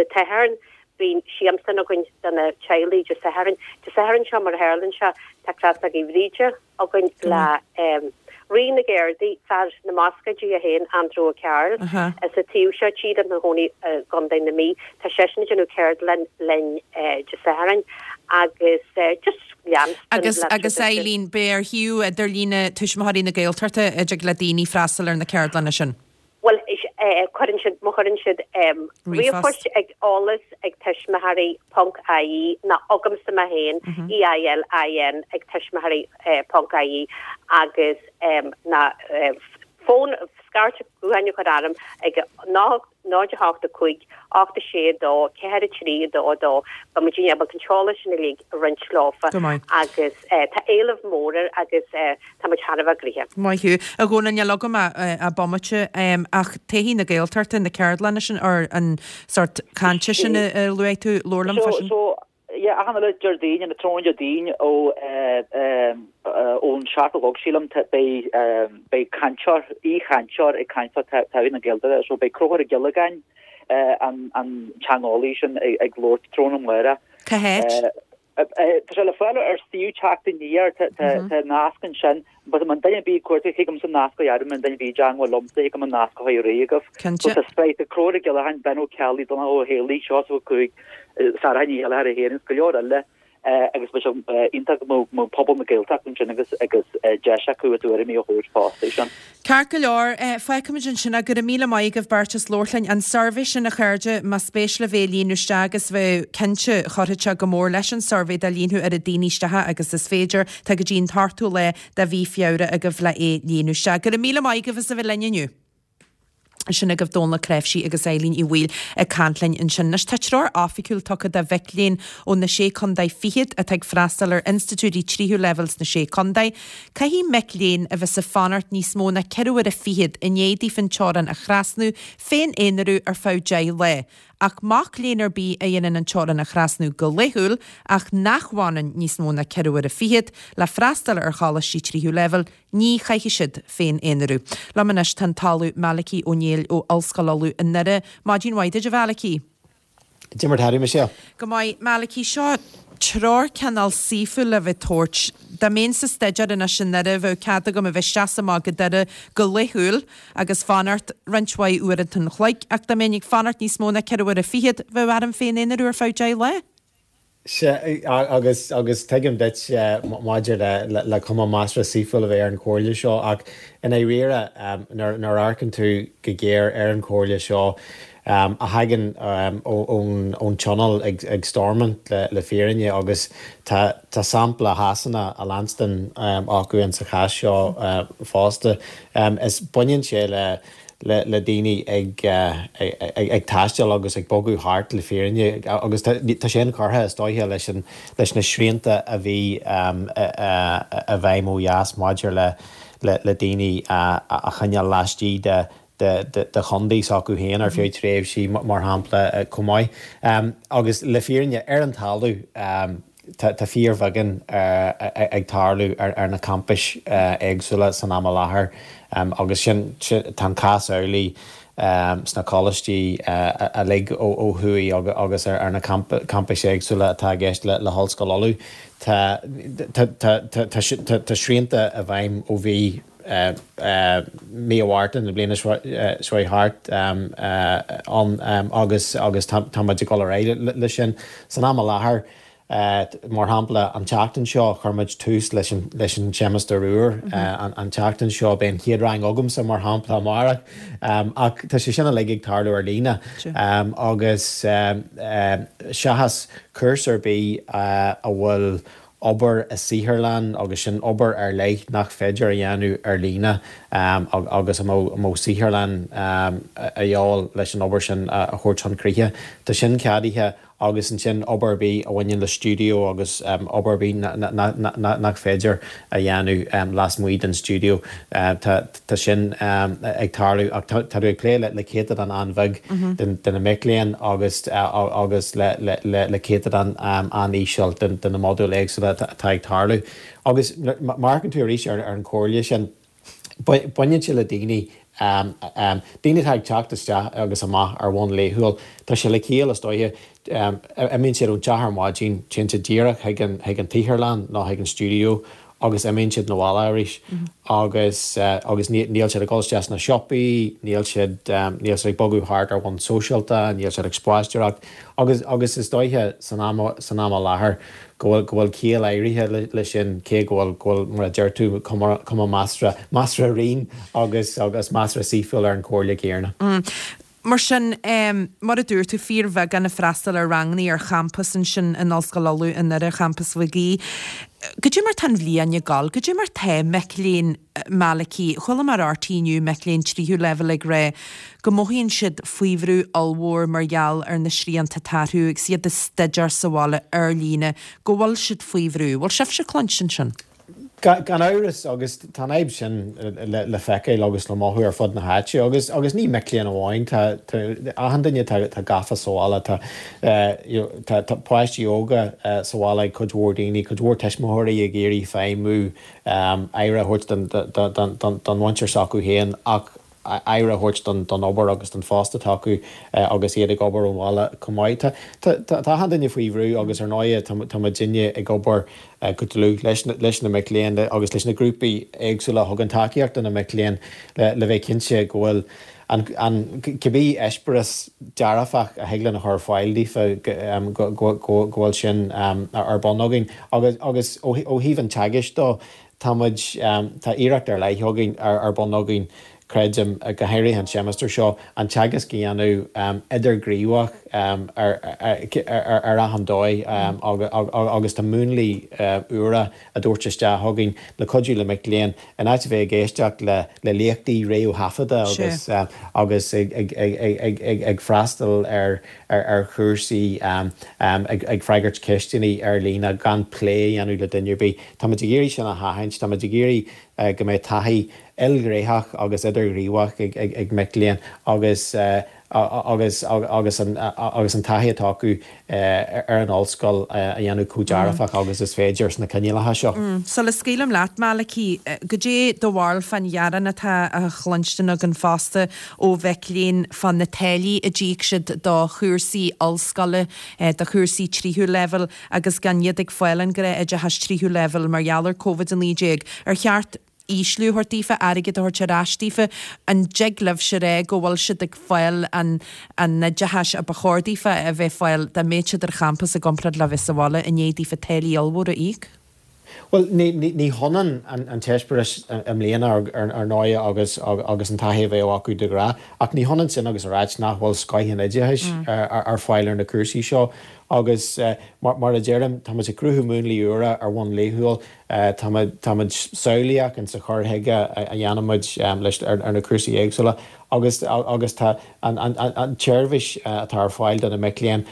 tSatharn bíonn siamsán againn do na teaghlaigh Dé Sathairn. Dé Sathairn seo mar a tharlaíonn sé tá Crosóg Uí Bhríde againn le Rí na gCéardaí, fear na mbascaeidí é féin, Andrew Ó Cearúil, as an taobh seo tíre, ina chónaí i gContae na Mí. Tá seisean ag déanamh ceardlann linn Dé Sathairn agus just leanstan Agus, agus Eileen, beidh ar shuíomh idirlíne Tuismitheoirí na Gaeltachta a dtig le daoine freastal ar na ceardlanna sin. Bhuel, cuireann siad, má chuireann siad ríomhphost ag eolas ag tuismitheoirí ponc ie nó chugamsa mé féin, EILIN ag tuismitheoirí ponc ie agus nó fón, scairt gutháin a chur orm ag 0 8 5 8 6 2 4 3 2 2. Beidh muid ábalta an t-eolas sin uilig a roinnt leofa agus tá éileamh mór air agus tá muid thar a bheith gnoitheach. Maith thú. A Dhónaill, níl agam ach bomaite, ach Todhchaí na Gaeltachta, na ceardlanna sin, or an sórt cainte sin a luaigh tú, labhair liom fá sin. So, yeah, achan uile Déardaoin, an tráthnóna Déardaoin ó ón seacht a chlog sílim, beidh beidh cainteoir, aoichainteoir ag caint fá Todhchaí na Gaeltachta, so beidh Conchúr Ó Giollagáin, an an teangeolaí sin ag labhairt tráthnóna amárach. Cá háit? Tá sé le fáil ar suíomh Teacht Aniar, tá nasc ansin, but má tá duine ar bith ag cuartú, thig liomsa nasc a dhearadh, má tá duine ar bith i dteangmháil liomsa, thig liom an nasc a chur ar aghaidh agaibh. Cinnte. So tá sraith, tá Conchúr Ó Giollagáin, Ben Ó Ceallaigh, Donncha Ó Héalaí, Seosamh Ó Cuaig, Sarah Ní Chéilleachair í féin agus go leor eile agus bheadh sé iontach go mbeadh pobal na Gaeltachta ansin agus agus deis acu a dtuairimí a thabhairt fosta air sin. Ceart go leor, fágfaimid ansin é. Go raibh míle maith agaibh beirt as labhairt linn. An suirbhé sin, a chairde, más spéis libh é a líonadh isteach agus bheadh cinnte, chuirfeadh sé go mór leis an suirbhé dá líonfadh oiread daoine isteach agus is féidir. Tá go dtí an t-ochtú lá de mhí Feabhra agaibh le é líonadh isteach. Go raibh míle maith agaibh as a bheith linn inniu. Sin agaibh Dónal Ó Cnáimhsí agus Eileen Uí Bhaoill ag caint linn ansin. Anois tá treoir oifigiúil tugtha do mhic léinn ó na Sé Contae Fichead atá ag freastal ar institiúidí tríú leibhéal sna Sé Contae. Caithfidh mic léinn a bheas ag fanacht níos mó ná ceithre huaire fichead i ndiaidh daofa an teorainn a thrasnú féin-aonarú ar feadh 10 lá. Ach mac léinn ar bith a dhéanann an teorainn a thrasnú go laethúil ach nach bhfanann níos mó ná 4 uaire fichead le freastal ar choláistí tríú leibhéal, ní chaithfidh siad féin-aonarú. Liom anois tá an tOllamh Malachy Ó Néill ó Ollscoil Uladh i nDoire. Maidin mhaith duit, a Mhalachy. Cad é mar tá tú, Michelle. Go maith, Malachy. Seo treoir cineál saoithiúil le bheith ag tabhairt. Dá mbeinnse ag staidéar anois i nDoire, bheadh cead agam a bheith isteach is amach go Doire go laethúil agus fanacht roinnt mhaith uaireanta an chloig, ach dá mbeinn ag fanacht níos mó ná 4 uaire fichead, bheadh orm féin-aonarú ar feadh 10 lá. Sea, agus, agus tuigim duit maidir le, le cuma measartha saoithiúil a bheith ar an chomhairle seo, ach i ndáiríre, nuair, nuair a amharcann tú go géar ar an chomhairle seo, a thagann ón, ón Tionól ag, ag Stormont le, le fírinne, agus tá, tá sampla Shasana á leanstan acu in sa chás seo fosta, is baineann sé le, le daoine ag taisteal agus ag bogadh thart le fírinne agus tá sé inchurtha is dóiche leis an leis na srianta a bhí i bhfeidhm ó dheas maidir le le daoine a choinneáil laistigh de de chontae s'acu féin ar feadh tréimhsí mar shampla chomh maith. Agus le fírinne ar an talamh Tá fíorbheagán ag tarlú ar na campais éagsúla san am i láthair agus sin, tá an cás amhlaidh sna coláistí uilig ó thuaidh agus ar na campais éagsúla atá i gceist le hOllscoil Uladh. Tá srianta i bhfeidhm ó bhí mí Mhárta na bliana seo thart ann agus agus tá muid ag dul ar aghaidh leis sin. San am i láthair, mar shampla, an tseachtain seo chuir muid tús leis an leis an seimeastar úr. An tseachtain seo beidh an chéad rang agamsa, mar shampla, amárach. Ach tá sé sin uilig ag tarlú ar líne agus seachas cúrsa ar bith a bhfuil obair i saotharlann agus sin obair ar leith nach féidir a dhéanamh ar líne agus a mbeadh saotharlann a dhíobháil leis an obair sin a thabhairt chun críche. Tá sin ceadaithe agus ansin obair ar bith a bhaineann le stiúideo agus obair ar bith nach féidir a dhéanamh lasmuigh den stiúideo, tá sin ag tarlú ach tá tú ag plé le céatadán an-bheag de na mic léinn agus agus le céatadán an-íseal de na modúil éagsúla atá ag tarlú. Agus má amharcann tú arís ar an chomhairle sin, baineann sé le daoine, daoine atá ag teacht isteach agus amach ar bhonn laethúil. Tá sé le ciall, is dóiche, imíonn siad ón teach ar maidin, téann siad díreach chuig an chuig an tsaotharlann nó chuig an stiúideo agus imíonn siad 'na bhaile arís agus agus níl siad ag dul isteach sna siopaí, níl siad níl siad ag bogadh thart ar bhonn sóisialta, níl siad ag spaisteoireacht agus agus is dóiche san am san am i láthair go bhfuil go bhfuil ciall áirithe le sin cé go bhfuil go bhfuil mar a deir tú cuma cuma measartha measartha righin agus agus measartha saoithiúil ar an chomhairle chéanna. Mar sin, mar a dúirt tú, fíorbheagán ag freastal ar ranganna ar champas ansin in Ollscoil Uladh i nDoire, Champas Mhig Aoidh. Goidé mar tá an bhliain ag gabháil? Goidé mar tá mic léinn, Malachy? Chuala mé ar RTÉ inniu mic léinn tríú leibhéal ag rá go mothaíonn siad faoi bhrú ollmhór mar gheall ar na srianta atá orthu agus iad ag staidéar sa bhaile ar líne, go bhfuil siad faoi bhrú. Bhfuil sibhse ag cluinstin sin? Gan amhras, agus tá an fhadhb sin le feiceáil agus le mothú ar fud na háite, agus agus ní mic léinn amháin, tá achan duine atá gafa sa bhaile, tá you know tá tá páistí óga sa bhaile ag cuid mhór daoine, cuid mhór tuismitheoirí ag iarraidh feidhmiú, aire a thabhairt don don don mhuintir s'acu féin ach aire a thabhairt don obair agus don phost atá acu agus iad ag obair ón bhaile chomh maith. Tá achan duine faoi bhrú agus ar ndóigh tá muidinne ag obair go dlúth leis na mic léinn agus leis na grúpaí éagsúla a thugann tacaíocht do na mic léinn le bheith cinnte go bhfuil an cibé eispéireas dearfach a thig linn a chur ar fáil daofa go bhfuil sin ar bun againn. Agus ó thaobh an teagaisc dó, Tá muid, tá iarracht ar leith againn, ar bun againn, creidim, go háirithe an seimeastar seo, an teagasc a dhéanamh idirghníomhach ar achan dóigh agus tá múnlaí úra á dtabhairt isteach againn le cuidiú le mic léinn, in áit a bheith ag éisteacht le léachtaí réamhthaifeadta agus agus ag freastal ar ar chúrsaí, ag freagairt ceisteanna ar líne gan plé a dhéanamh le duine ar bith. Táimid ag iarraidh sin a sheachaint, táimid ag iarraidh go mbeidh taithí ilghnéitheach agus idirghníomhach ag mic léinn agus. agus agus an agus an taithí atá acu ar an ollscoil a dhéanamh chomh dearfach agus is féidir sna coinníollacha seo. Sula scaoilim leat, Malachy, goidé do bharúil fán ghearán atá á chluinstin againn fosta ó mhic léinn fá na táillí a d'íoc siad do chúrsaí ollscoile, do chúrsaí tríú leibhéal agus gan iad ag fáil an gnáth-oideachas tríú leibhéal mar gheall ar Covid-19. Ar cheart ísliú a thabhairt daofa, airgead a thabhairt ar ais daofa? An dtig libhse a rá go bhfuil siad ag fáil an an oideachais a ba chóir daofa a bheith fáil dá mbeadh siad ar champas i gcomparáid le bheith sa bhaile i ndiaidh daofa táillí ollmhóra a íoc? Bhuel, ní ní hionann an t-eispéireas i mbliana ar ndóigh agus agus an taithí a bheadh acu de ghnáth, ach ní hionann sin agus a ráit nach bhfuil scoith an oideachais ar fáil ar na cúrsaí seo agus mar a deirim, tá muid ag cruthú múnlaí úra ar bhonn laethúil. Táimid samhlaíoch in sa chur chuige a dhéanaimid leis ar na cúrsaí éagsúla agus agus tá an tseirbhís atá ar fáil do na mic léinn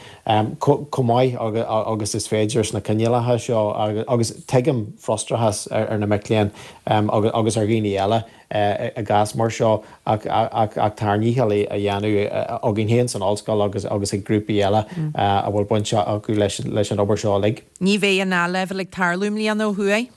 chomh maith agus is féidir sna coinníollacha seo agus tuigim frustrachas ar na mic léinn agus ar dhaoine eile i gcás mar seo ach tá ár ndícheall á dhéanamh againn féin san ollscoil agus agus ag grúpaí eile a bhfuil baint acu leis an obair seo uilig. Ní bheidh an A-Leibhéal ag tarlú i mbliana ó thuaidh.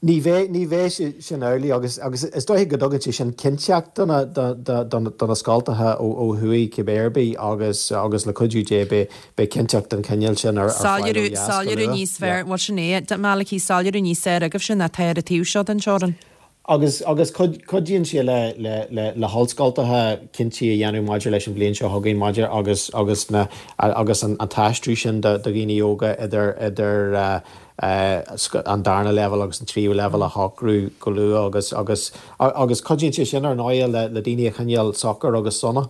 Ní bheidh, ní bheidh sin amhlaidh agus agus is dóiche go dtugann sé sin cinnteacht do na do na scoltacha ó thuaidh cibé ar bith agus agus le cuidiú Dé beidh beidh cinnteacht den chineál sin ar fáil ó dheas go luath. Soiléiriú níos fearr, bhuel sin é, Malachy, soiléiriú níos fearr agaibhse ná atá ar an taobh seo den teorainn. Agus agus cuidíonn sé le le le le hollscoltacha cinntí a dhéanamh maidir leis an bhliain seo chugainn maidir agus agus na agus an an t-aistriú sin do do dhaoine óga idir idir an darna leibhéal agus an tríú leibhéal a shocrú go luath agus agus agus cuidíonn sé sin ar ndóigh le le daoine a choinneáil socair agus sona.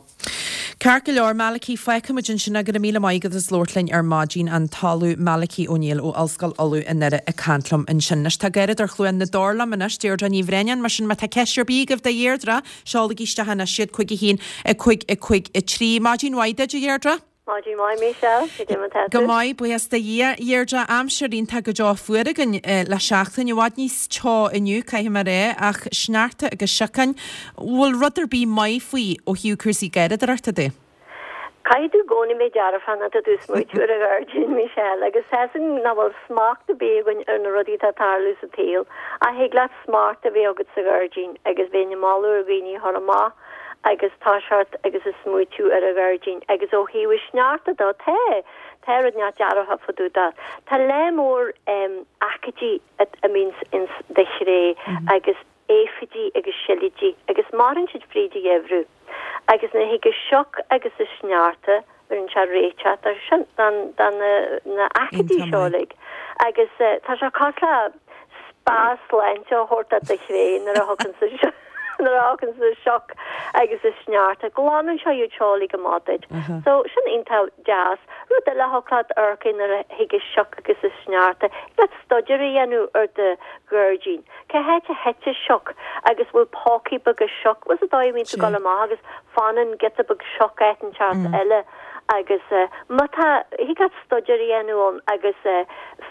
Ceart go leor, Malachy, fágfaimid ansin é. Go raibh míle maith agat as labhairt linn ar maidin. An tOllamh Malachy Ó Néill ó Ollscoil Uladh i nDoire ag caint liom ansin. Anois tá gáireadóir Chluain na dTor liom anois, Deirdre Ní Bhraonáin. Mar sin má tá ceist ar bith agaibh do Dheirdre, seolaigí isteach anois iad, 5 1 5 5 3. Maidin mhaith duit, a Dheirdre. Maidin mhaith, Michelle. Cad é mar tá tú? Go maith, buíochas do Dhia. Dheirdre, aimsir iontach go deo fuar againn le seachtain. I bhfad níos teo inniu, caithfidh mé a rá, ach sneachta agus siocáin. Bhfuil rud ar bith maith faoi ó thaobh cúrsaí garraíodóireachta de? Caithfidh tú i gcónaí bheith dearfach nuair atá tú ag smaoitiú ar an ghairdín, Michelle, agus tá 'fhios againn nach bhfuil smacht ar bith againn ar na rudaí atá ag tarlú sa tsaol, ach thig leat smacht a bheith agat sa ghairdín agus bheinn ag moladh ar dhaoine a chur amach agus toiseacht agus ag smaoitiú ar an ghairdín. Agus ó thaobh an sneachta de, tá, tá rud inteacht dearfach fá dtaobh de. Tá lear mór aicídí a mbíonns ins do chré agus aifidí agus silidí agus maireann siad fríd an gheimhreadh agus nuair a thig an sioc agus an sneachta bheireann sé réiteach do sin don do na na aicídí seo uilig agus tá sé cosúil le spa sláinte a thabhairt do do chré nuair a thiocfainn sa nuair a thiocfainn an sioc agus an sneachta glanann sé iad seo uilig amach duit so sin iontach deas rud eile a thiocfadh leat amharc air nuair a thig an sioc agus an sneachta thig leat staidéar a dhéanamh ar do ghairdín Cá háit a thit an sioc agus bhfuil pócaí beaga sioc, bhfuil 's agat an dóigh a mbíonn tú ag dul amach agus fanann giota beag sioc áit inteacht eile agus má tá, thig leat staidéar a dhéanamh ann agus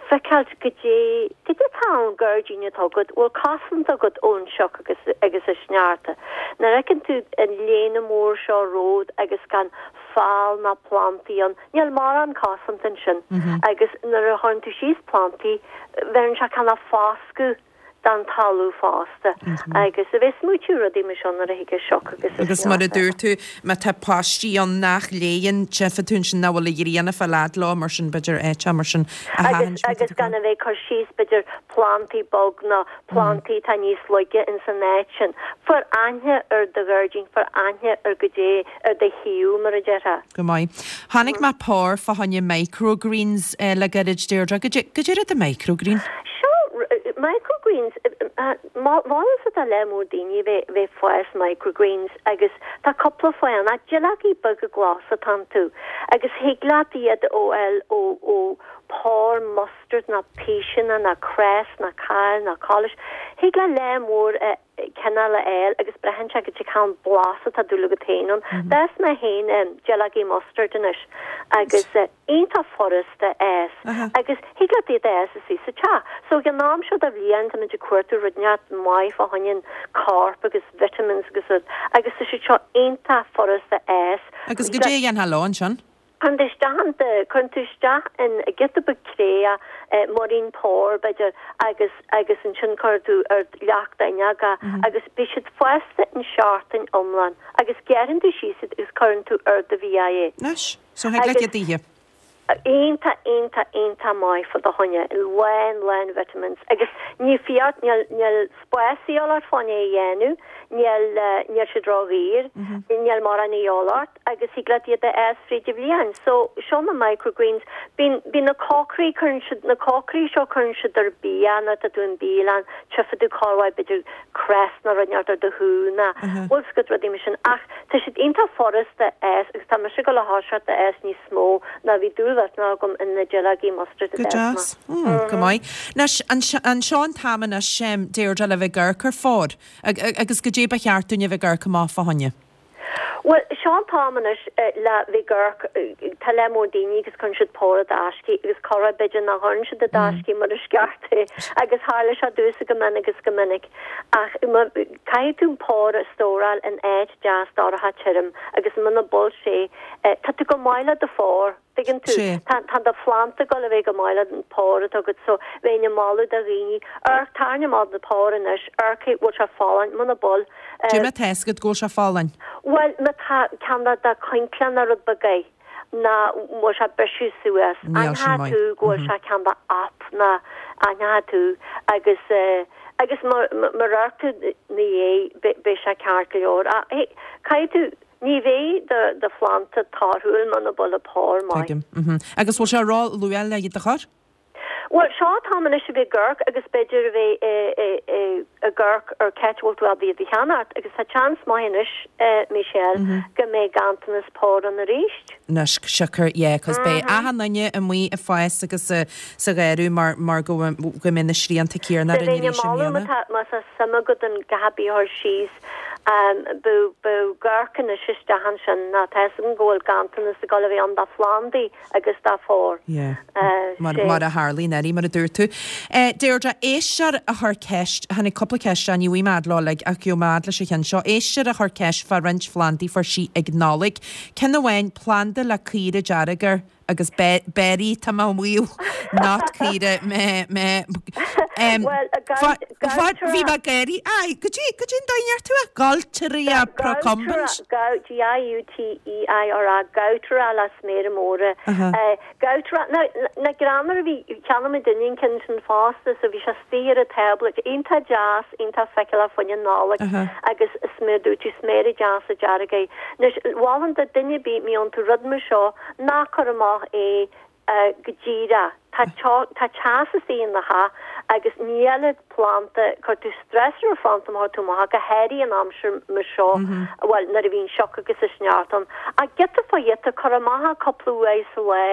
feiceáilt goidé, goidé atá ann gairdín atá agat, bhfuil cosaint agat ón sioc agus, agus an sneachta. Nuair a fheiceann tú an léana mór seo romhat agus gan fál ná plantaí ann, níl mórán cosanta ansin agus nuair a chuireann tú síos plantaí, bheireann sé cineál foscadh don talamh fosta agus a bheith ag smaoitiú rudaí mar seo nuair a thig an sioc agus an Agus mar a dúirt tú, má tá páistí ann nach léann, tchífidh tú ansin nach bhfuil an ghrian ag fáil fhad leo, mar sin b'fhéidir áit mar sin a thathant. Agus gan a bheith ag cur síos b'fhéidir plantaí bog nó plantaí atá níos laige ins an áit sin. Fair aithne ar do ghairdín, fair aithne ar goidé ar do thaobh, mar a déarfá. Go maith. Chonaic mé pár fá choinne microgreens le gairid, Deirdre. Goidé rud é microgreen? Seo, microgreens, mholfainnse do lear mór daoine a bheith ag fás microgreens agus tá cúpla fáth ann. Ach duilleogaí beaga glasa atá iontu agus thig leat iad a fháil ó, ó. Pár mustard ná píseanna ná cress ná cál ná collis. Thig leat lear mór cineál a fháil agus braitheann sé goidé cén blas atá dúil agat féin ann. D'fhás mé féin duilleogaí mustard anois agus iontach furasta a fhás agus thig leat iad a fhás istigh sa teach. So ag an am seo de bhliain táimid ag cuartú rud inteacht maith fá choinne an corp agus vitamins agus rud agus tá siad seo iontach furasta a fhás. Agus goidé a dhéanfá leo ansin? Cuireann tú isteach an, cuireann tú isteach in giota beag cré é, muirín pár b'fhéidir agus, agus ansin cuireann tú ar leac d'fhuinneog é agus beidh siad fásta in seachtain iomlán agus gearrann tú síos iad agus cuireann tú ar do bhia é. Anois, so thig leat iad a ithe. Iontach, iontach, iontach maith fá do choinne, lán, lán vitamins agus ní fiú, níl, níl spás a dhíobháil ort fá choinne é a dhéanamh, níl, níl siad ró-dhaor, níl mórán a dhíobháil ort. agus thig leat iad a fhás fríd an bhliain. So, seo na microgreens. Bíonn, bíonn na cócairí, cuireann siad, na cócairí seo cuireann siad ar bia nuair atá tú in bialann, tchífidh tú corruair b'fhéidir cress nó rud inteacht ar do shú nó bhfuil 's agat rudaí mar sin ach tá siad iontach furasta a fhás agus tá mise ag dul a thoiseacht a fhás níos mó ná bhí dúil mhillteanach agam in na duilleogaí mustard a Go d'fhás mé. deas. Mm, go maith. Anois, an seo an t-am anois, Deirdre, le bheith ag amharc ar phár agus goidé ba cheart dúinn a bheith ag amharc amach fá choinne. Bhuel, seo an t-am anois le bheith ag amharc, tá lear mór daoine agus cuireann siad pár i dtaisce agus corruair b'fhéidir nach gcuireann siad i dtaisce mar is ceart é agus tharla sé domhsa go mion agus go minic ach caithfidh tú an pár a stóráil in áit deas dorcha tirim agus muna bhfuil sé, tá tú go maith le do phár. Tuigeann tú? Sea. Tá, tá do phlanda ag dul a bheith go maith le an pár atá agat so bheinn ag moladh do dhaoine, amharc, tarraing amach do phár anois, amharc an bhfuil sé folláin, muna bhfuil, eh. Goidé mar tá 'fhios agat go bhfuil sé folláin. Bhuel, má tá ceann de do coincle nó rud beag air, ná bhfuil sé ag briseadh suas, Níl sin aithneoidh maith. tú go bhfuil sé ceann de app ná aithneoidh tú agus eh, agus má, má, má amharc tú 'na dhiaidh, beidh, beidh sé ceart go leor. Ach, hey, caithfidh tú, Ní bheidh do do phlanda torthúil muna bhfuil an pár maith. Tuigim. Mhm. Agus bhfuil sé ró-luath le iad a chur? Bhuel, seo an t-am anois a bheith ag amharc agus b'fhéidir a bheith ag amharc ar c'áit a bhfuil tú ábalta iad a cheannacht agus tá seans maith anois, Michelle, go mbeidh ganntanas pár ann arís. Anois, siocair, yeah, 'cause beidh achan duine amuigh ag fás agus sa gharradh mar mar go go mbeidh na srianta céanna So orainn bheinn ag arís i moladh má mbliana. tá má tá suim agat in gach ar bith a chur síos B'fhiú amharc anois isteach ansin ná tá 'fhios agam go bhfuil ganntanas ag dul a bheith ann do phlandaí agus do phár. Yeah. Mar mar a tharlaíonn uilig, mar a dúirt tú. Deirdre, éisteoir a chuir ceist, tháinig cúpla ceist isteach, ní bhfaighidh mé fhad leo uilig ach gheobhaidh mé fhad leis an cheann seo. Éisteoir a chuir ceist fá roinnt phlandaí fuair sí ag Nollaig. Ceann amháin, planda le caora dearg air. agus berry tá mé amuigh not caora mé mé em Bhuel, fa fa bhí mé ag gáirí aye goidé goidé an dóigh a ndeir tú é Gaultheria procumbens G-A-U-T-E-I-R-A Gautera le sméara móra Gautera now na greannmhar a bhí cheannaigh muidinne an ceann sin fosta so bhí sé istigh ar an tábla iontach deas iontach feiceálach fá choinne Nollag agus is mar a dúirt tú sméara deasa dearga air. Anois mholfainn do duine ar bith má fhaigheann tú rud mar seo Ná cuir amach é go díreach. Tá tá teas istigh ina theach agus níl an planda, cuir tú stress ar an phlanda má chuir tú amach é, go háirithe an aimsir mar seo, bhuel, nuair a bhíonn sioc agus is sneachta ann. Ach giota fá ghiota, cuir amach é cúpla uair sa lá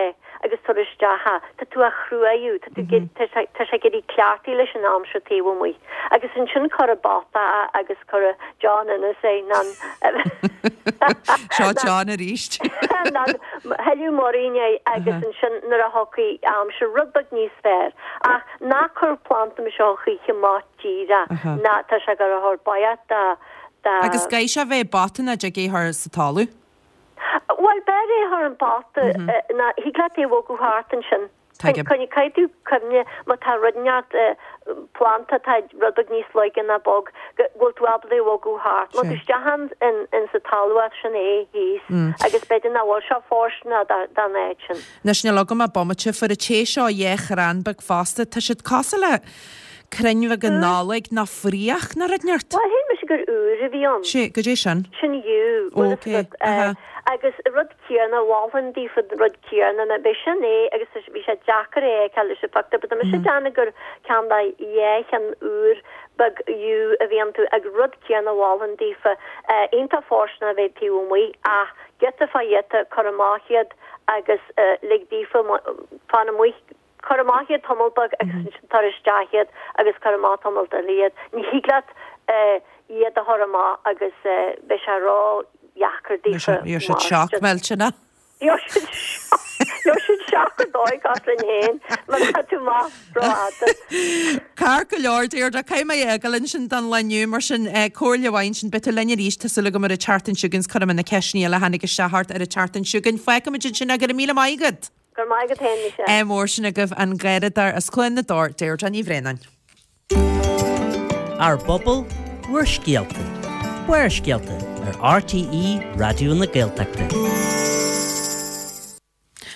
agus tabhair isteach é. Tá tú á chruaú, tá tú tá sé tá sé ag éirí cleachtaithe leis an aimsir taobh amuigh. Agus ansin cuir i bpota é agus cuir John Ennis é, ná Seo John arís. Ná thuilleadh muirín é agus ansin nuair a thiocfaidh aimsir rud beag níos fearr. Ach ná cuir planda mar seo choíche amach díreach ná tá sé ag dul a chur baghcat dá dá. Agus caithfidh sé a bheith i bpota nó dtig é a chur sa talamh? Bhuel b'fhearr é a chur i bpota ná thig leat é a bhogadh thart ansin. Tuigim. Caithfidh tú cuimhne má tá rud inteacht, planda atá rud beag níos laige ná bog, go bhfuil tú ábalta é a bhogadh thart. Má tá isteach in sa talamh as sin é thíos agus b'fhéidir nach bhfuil sé fóirsteanach don áit sin. Anois níl agam ach bomaite, fuair an té seo dhá chrann beag fosta, tá siad cosúil le crainn bheaga Nollag nó fraoch nó rud inteacht. Bhuel, shíl mise gur iúr a bhí ann. Sea, goidé sin? Sin yew, bhfuil fhios Ok, agat. aha. Agus rud céanna, mholfainn daofa an rud céanna, ná b'é sin é agus bhí sé deacair é a fheiceáil leis an phictiúr, but tá mise ag déanamh gur ceann de dhá cheann iúr beag yew a bhí iontu ag rud céanna mholfainn daofa, iontach fóirsteanach a bheith taobh amuigh ach giota fá ghiota, cuir amach iad agus lig daofa fan amuigh. Cuir amach iad tamall beag agus ansin tar isteach iad agus cuir amach tamalt eile iad. Ní thig leat iad a chur amach agus beidh sé ró-dheacair daofa Gheobhaidh siad shock millteanach. Gheobhaidh siad shock, gheobhaidh siad shock ar dóigh cosúil linn féin má tá tú amach rófhada. Ceart go leor, Deirdre, caithfidh mé a fhágáil ansin don lá inniu, mar sin, comhairle mhaith ansin, beidh tú linn arís, tá súil agam ar an tseachtain seo chugainn, is cuirfidh mé na ceisteanna eile a tháinig isteach ort ar an tseachtain seo chugainn. Fágfaimid ansin é, go raibh míle maith agat! Go raibh maith agat féin, Michelle. Ádh mór sin agaibh an garraíodóir as Cluain na dTor, Deirdre Ní Bhraonáin. Ár bpobal, bhur scéalta. Barrscéalta ar RTÉ Raidió na Gaeltachta.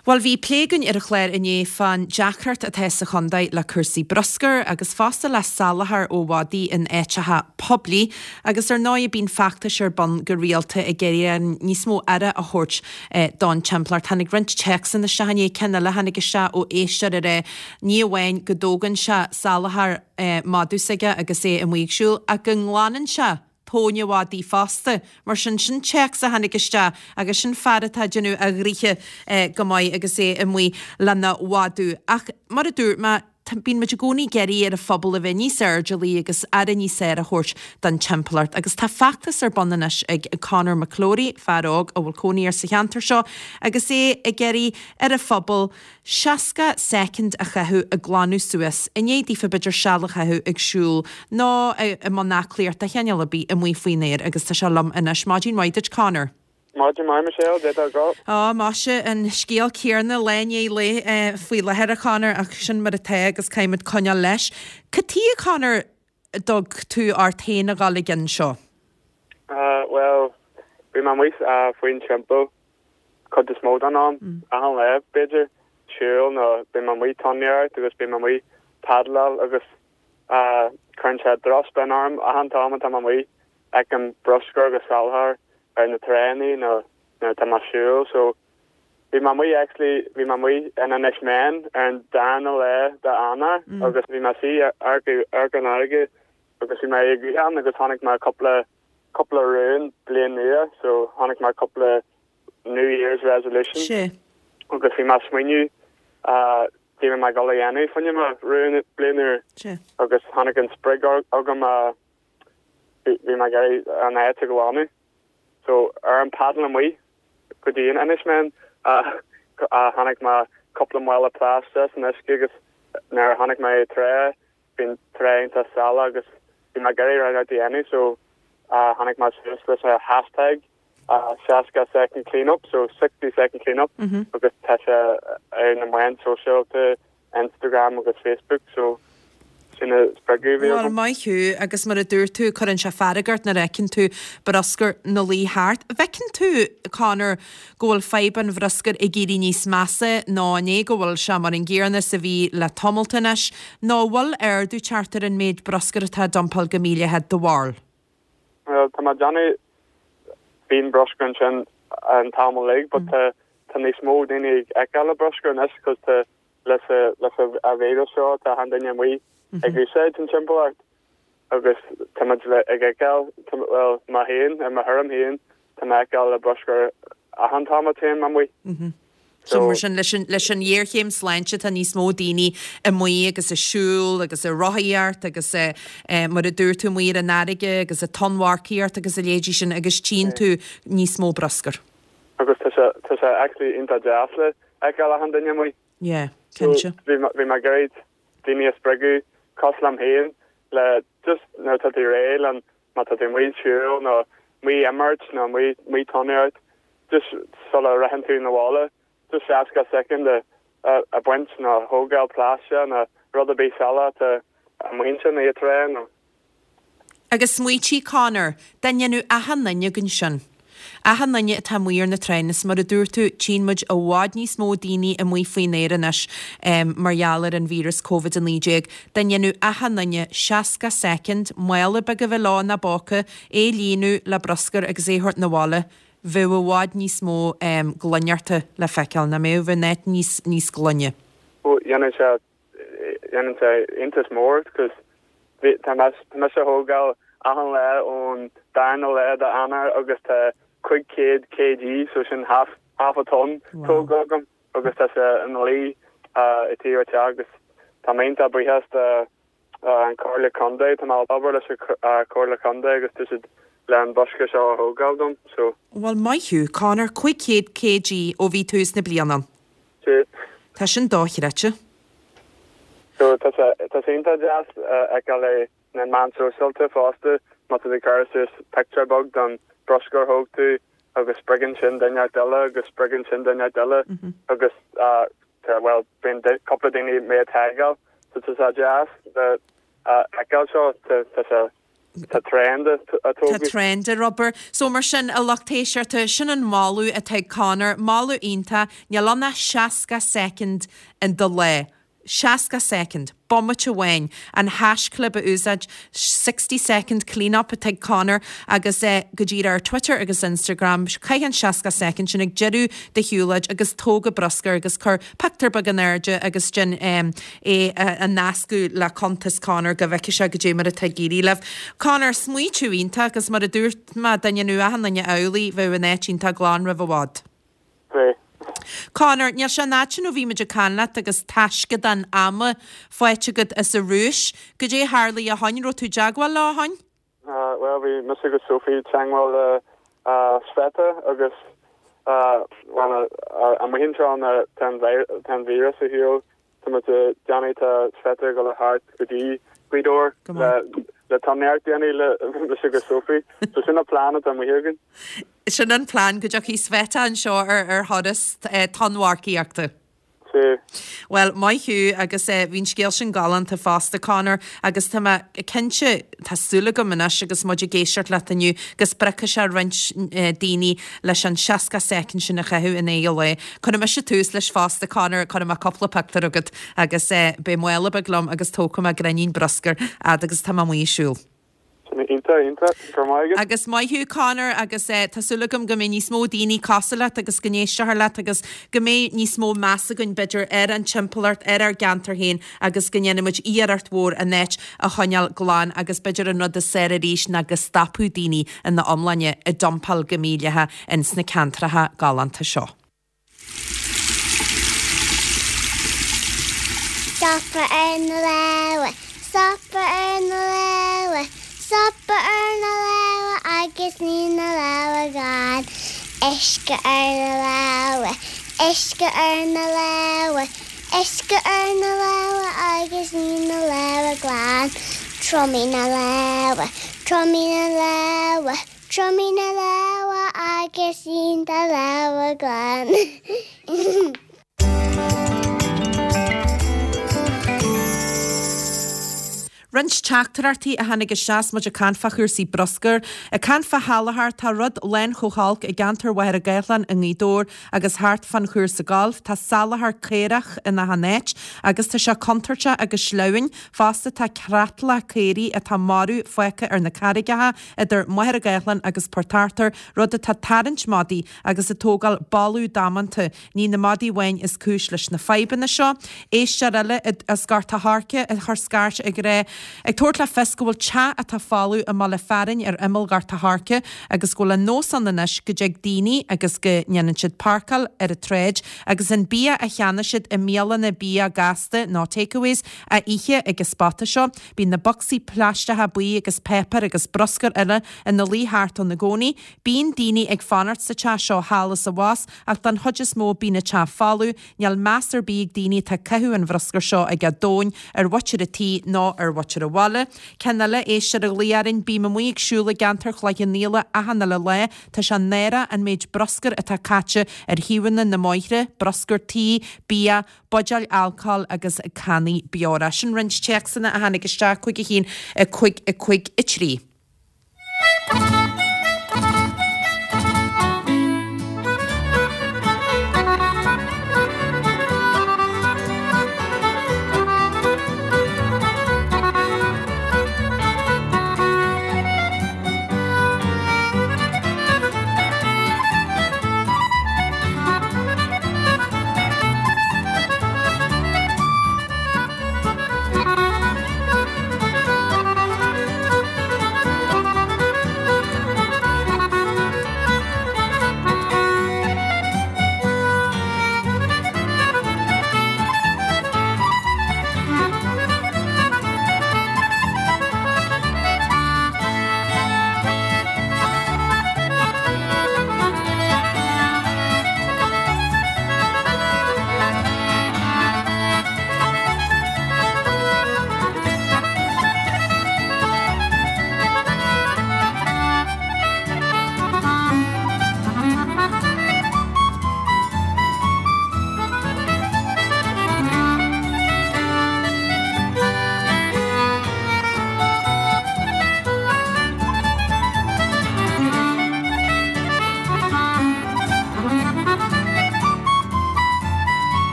Bhuel, bhí plé againn ar an chlár inné fán deacracht atá sa chontae le cúrsaí bruscair agus fosta le salachar ó mhadaí in áiteacha poiblí agus ar ndóigh bíonn feachtais ar bun go rialta ag iarraidh níos mó aire a thabhairt don timpeallacht. Tháinig roinnt téacsanna isteach inné, ceann eile a tháinig isteach ó éisteoir a rá ní amháin go dtógann sé salachar madadh s'aige agus é amuigh ag siúl ach go nglanann sé tóin an mhadaidh fosta. Mar sin, sin téacs a tháinig isteach agus sin fear atá ag déanamh a ghnoithe go maith agus é amuigh lena mhadadh. Ach mar a dúirt mé, Bíonn muid i gcónaí ag iarraidh ar an phobal a bheith níos airdeallaí agus aire níos fearr a thabhairt don timpeallacht agus tá feachtas ar bun anois ag Conor McClory, fear óg a bhfuil cónaí air sa cheantar seo agus é ag iarraidh ar an phobal 60 soicind a chaitheamh ag glanadh suas i ndiaidh daofa b'fhéidir seal a chaitheamh ag siúl nó i mbun aclaíocht de chineál ar bith amuigh faoin aer agus tá sé liom anois. Maidin mhaith duit Conor. Maidin mhaith Michelle, cad é tá agat? Á, maise, an scéal céanna lá i ndiaidh lae faoi láthair, a Chonor, ach sin mar atá agus caithfimid coinneáil leis. Cad tuige, a Chonor, a dtug tú ort féin a dhul i gcionn seo? Bhuel, bhí mé amuigh faoin timpeall cuid is mó den am, achan lá b'fhéidir, siúl nó bhí mé amuigh tonnadóireacht agus bhí mé amuigh paddleáil agus cuireann sé drochspion orm achan t-am atá mé amuigh. Feicim bruscar agus salachar ar na tránna nó nuair atá mé ag siúl so bhí mé amuigh actually bhí mé amuigh in Inis Meáin ar an darna lá de Eanáir agus bhí mé suí ar ar an fharraige agus bhí mé ag itheann agus chonaic mé cúpla cúpla rún bliain nua so chonaic mé cúpla New Year's resolution Sea. agus bhí mé ag smaoineamh cad a bhí mé ag dul a dhéanamh fá choinne mo rún bliain úr Sea. agus tháinig an sprioc agam a Bhí mé ag iarraidh an áit a ghlanadh. So ar an paddle amuigh go dtí an Inis Meáin a chonaic mé cúpla mála plaisteach san uisce agus nuair a chonaic mé an trá bhí an trá iontach salach agus bhí mé ag iarraidh rud a dhéanamh so tháinig mé suas leis an hashtag 60 second clean up so 60 second clean up agus tá sé ar na meáin sóisialta Instagram agus Facebook so sin an spreagadh a bhí Bhuel, agam. maith thú, agus mar a dúirt tú, cuireann sé fearg ort nuair a fheiceann tú bruscar 'na luí thart. An bhfeiceann tú, Conor, go bhfuil fadhb an bhruscair ag éirí níos measa nó an é go bhfuil sé mar an gcéanna is a bhí le tamalt anois, nó an bhfuil ardú teacht ar an méid bruscair atá á dumpáil go mídhleathach, do bharúil? Bhuel, tá mé ag déanamh, bíonn bruscar ansin an t-am uilig but tá tá níos mó daoine ag fheiceáil an bruscar anois cos tá leis leis an víreas seo tá achan duine amuigh ag úsáid an timpeallacht agus tá muid le ag fheiceáil bhuel mé féin i mo thuairim féin tá mé ag fheiceáil an bruscar achan t-am a téim amuigh. So mar sin leis an leis an ghéarchéim sláinte tá níos mó daoine amuigh agus ag siúl agus ag rothaíocht agus mar a dúirt tú amuigh ar an fharraige agus ag tonnmharcaíocht agus a leithéidí sin agus tchíonn tú níos mó bruscair. Agus tá sé tá sé actually iontach deas le fheiceáil achan duine amuigh. Yeah, cinnte. So bhí bhí mé ag iarraidh daoine a spreagadh cosúil liom féin le just nuair atá tú réidh le má tá tú amuigh ag siúl nó amuigh ag imirt nó amuigh amuigh ag tonnadóireacht just sula ritheann tú 'na bhaile just 60 soicind a a baint nó thógáil plaisteach nó rud ar bith salach atá amuigh ansin ar an trá nó Agus smaoitigh, Conor, dá ndéanfadh achan duine againn sin, achan duine atá amuigh ar na tránna, is mar a dúirt tú, tchíonn muid i bhfad níos mó daoine amuigh faoin aer anois mar gheall ar an víreas Covid-19, dá ndéanfadh achan duine 60 soicind, mála beag a bheith leo ina bpóca, é a líonadh le bruscar agus é a thabhairt 'na bhaile, bheadh i bhfad níos mó glaineachta le feiceáil, nach mbeadh, bheadh an áit níos, níos glaine. Ó, dhéanfadh sé Dhéanann sé iontas mór cos tá mise a thógáil achan lá ón darna lá de Eanáir agus tá 500 kg so sin half half a ton tógtha agam agus tá sé ina luí. i taobh an teach agus tá mé iontach buíochas do an Comhairle Contae, tá mé ag obair leis an Comhairle Contae agus tá siad le an bruscar seo a thógáil dom so. Bhuel maith thú Conor, 500 kg ó bhí tús na bliana ann. Sea. Tá sin dochreidte. So tá sé tá sé iontach deas a fheiceáil é na meáin sóisialta fosta, má tá tú ag cur suas pictiúr beag don bruscar a thóg tú agus spreagann sin duine eile agus spreagann sin duine eile agus bhuel bíonn cúpla daoine mé ag tagáil so tá sé deas a fheiceáil seo tá sé tá trend á Tá tógadh. trend ar obair. So mar sin, a lucht éisteachta, sin an moladh atá ag Conor, moladh iontach, níl ann ach 60 soicind in do lá. 60 soicind, bomaite amháin, an haischlib a úsáid, 60 second clean up atá ag Conor agus é go díreach ar Twitter agus Instagram, caith an 60 soicind sin ag deireadh do shiúlóid agus tóg an bruscar agus cuir pictiúr beag in airde agus déan é a nascadh le cuntas Conor go bhfeicfidh sé goidé mar atá ag éirí libh. Conor, smaoitiú iontach agus mar a dúirt mé, dá ndéanfadh achan duine amhlaidh bheadh an áit iontach glan roimh i bhfad. Bhí. Conor, níl sé an fhad sin ó bhí muid ag caint leat agus taisceadán ama faighte agat as an Rúis. Goidé a tharlaigh ó shoin? Raibh tú i dteagmháil leo ó shoin? Bhuel, bhí mise agus Sophie i dteagmháil le Sveta agus bhuel, amuigh anseo tá an víreas ar shiúl. Tá muid ag déanamh, tá Sveta ag dul thart go dtí Gaoth Dobhair le tonnmharc a dhéanamh le mise agus Sophie. So sin an plean atá amuigh againn. Sin an plean, go dtiocfaidh Sveta anseo ar thuras tonnmharcaíochta. Sea. Bhuel, maith thú agus bhí an scéal sin galánta fosta, Conor, agus tá mé cinnte, tá súil agam anois agus muid ag éisteacht leat inniu, go spreagfaidh sé roinnt daoine leis an 60 soicind sin a chaitheamh in aghaidh an lae. Cuirfidh mise tús leis fosta, Conor, cuirfidh mé cúpla pictiúr chugat agus beidh mála beag liom agus tógfaidh mé gráinnín bruscair fhad agus tá mé amuigh ag siúl. Iontach, iontach. Go raibh maith agat. Agus maith thú, Conor, agus tá súil agam go mbeidh níos mó daoine cosúil leat agus go n-éisteofar leat agus go mbeidh níos mó meas againn, b'fhéidir, ar an timpeallacht, ar ár gceantar féin agus go ndéanfaidh muid iarracht mhór an áit a choinneáil glan agus b'fhéidir an rud is fearr arís ná go stopfadh daoine ina iomláine ag dumpáil go mídhleathach ins na ceantracha galánta seo. Stopadh ar na lámha, stopadh ar na lámha, stopadh ar na lámha agus ní na lámha glan. Uisce ar na lámha, uisce ar na lámha, uisce ar na lámha agus ní na lámha glan. Triomaigh na lámha, triomaigh na lámha, Triomaigh na lámha agus ní do lámha glan. Roinnt teachtaireachtaí a tháinig isteach 's muid ag caint fá chúrsaí bruscair. Ag caint fá shalachar, tá rud lán chomh holc i gceantar Mhachaire Gathlán i nGaoth Dobhair agus thart fán chúrsa gailf. Tá salachar caorach in achan áit agus tá sé contúirteach agus sleamhain. Fosta tá creatlach caoirigh atá marbh fágtha ar na carraigeacha idir Machaire Gathlán agus Port Arthur, rud atá ag tarraingt madaí agus ag tógáil boladh damanta. Ní na madaí amháin is cúis leis na fadhbanna seo. Éisteoir eile as Gort a' Choirce a chuir scairt ag rá, ag tabhairt le fios go bhfuil teach atá folamh i mbaile fearainn ar imeall Ghort a' Choirce agus go bhfuil an nós ann anois go dtig daoine agus go ndéanann siad páirceáil ar an tsráid agus an bia a cheannaigh siad i mbialanna bia gasta nó takeaways a ithe ag an spota seo. Bíonn na bocsaí plaisteacha buí agus páipéar agus bruscar eile ina luí thart ann i gcónaí. Bíonn daoine ag fanacht sa teach seo thall is abhus ach don chuid is mó bíonn an teach folamh. Níl meas ar bith ag daoine atá ag caitheamh an bhruscair seo ag a dtóin ar mhuintir an tí ná ar mhuintir an bhaile. Ceann eile, éisteoir a ghlaoigh orainn, Bím amuigh ag siúl i gceantar Chloich Cheann Fhaola achan uile lá. Tá sé náireach an méid bruscair atá caite ar thaobhanna na mbóithre, bruscar tí, bia, buidéil alcóil agus cannaí beora. Sin roinnt téacsanna a tháinig isteach, 5 1 5 5 3.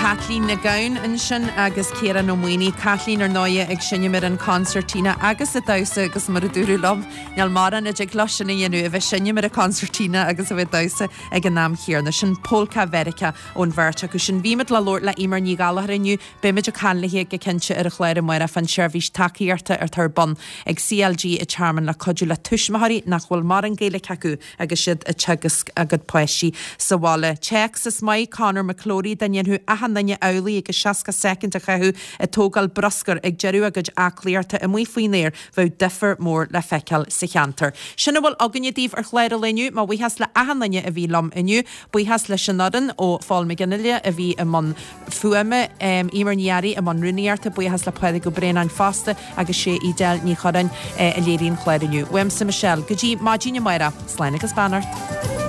Caitlín Nic Gabhann ansin agus Ciarán Ó Maonaigh. Caitlín, ar ndóighe, ag seinm ar an concertina agus ag damhsa agus mar a dúradh liom, níl mórán a dtig leo sin a dhéanamh, a bheith ag seinm ar an concertina agus a bheith ag damhsa ag an am chéanna. Sin Polca Mheiriceá ón bheirt acu sin. Bhí muid le labhairt le Eimear Ní Ghallchóir inniu. Beimid ag caint léi go cinnte ar an chlár amárach fán seirbhís tacaíochta atá ar bun ag CLG an Tearmainn le cuidiú le tuismitheoirí nach bhfuil mórán Gaeilge acu agus iad ag teagasc a gcuid páistí sa bhaile. Téacs, Is maith Conor McClory dá ndéanfadh achan duine amhlaidh agus 60 soicind a chaitheamh ag tógáil bruscair ag deireadh a gcuid aclaíochta amuigh faoin aer, bheadh difear mór le feiceáil sa cheantar. Sin a bhfuil againne daoibh ar chlár an lae inniu. Mo bhuíochas le achan duine a bhí liom inniu. Buíochas leis an fhoireann ó Phól McGinley a bhí i mbun fuaime, Eimear Ní Fhearraigh i mbun rúnaíochta, buíochas le Pádraig Ó Braonáin fosta agus sé Edel Ní Churráin a léirigh an clár inniu. Uaimse Michelle, go dtí maidin amárach, slán agus beannacht.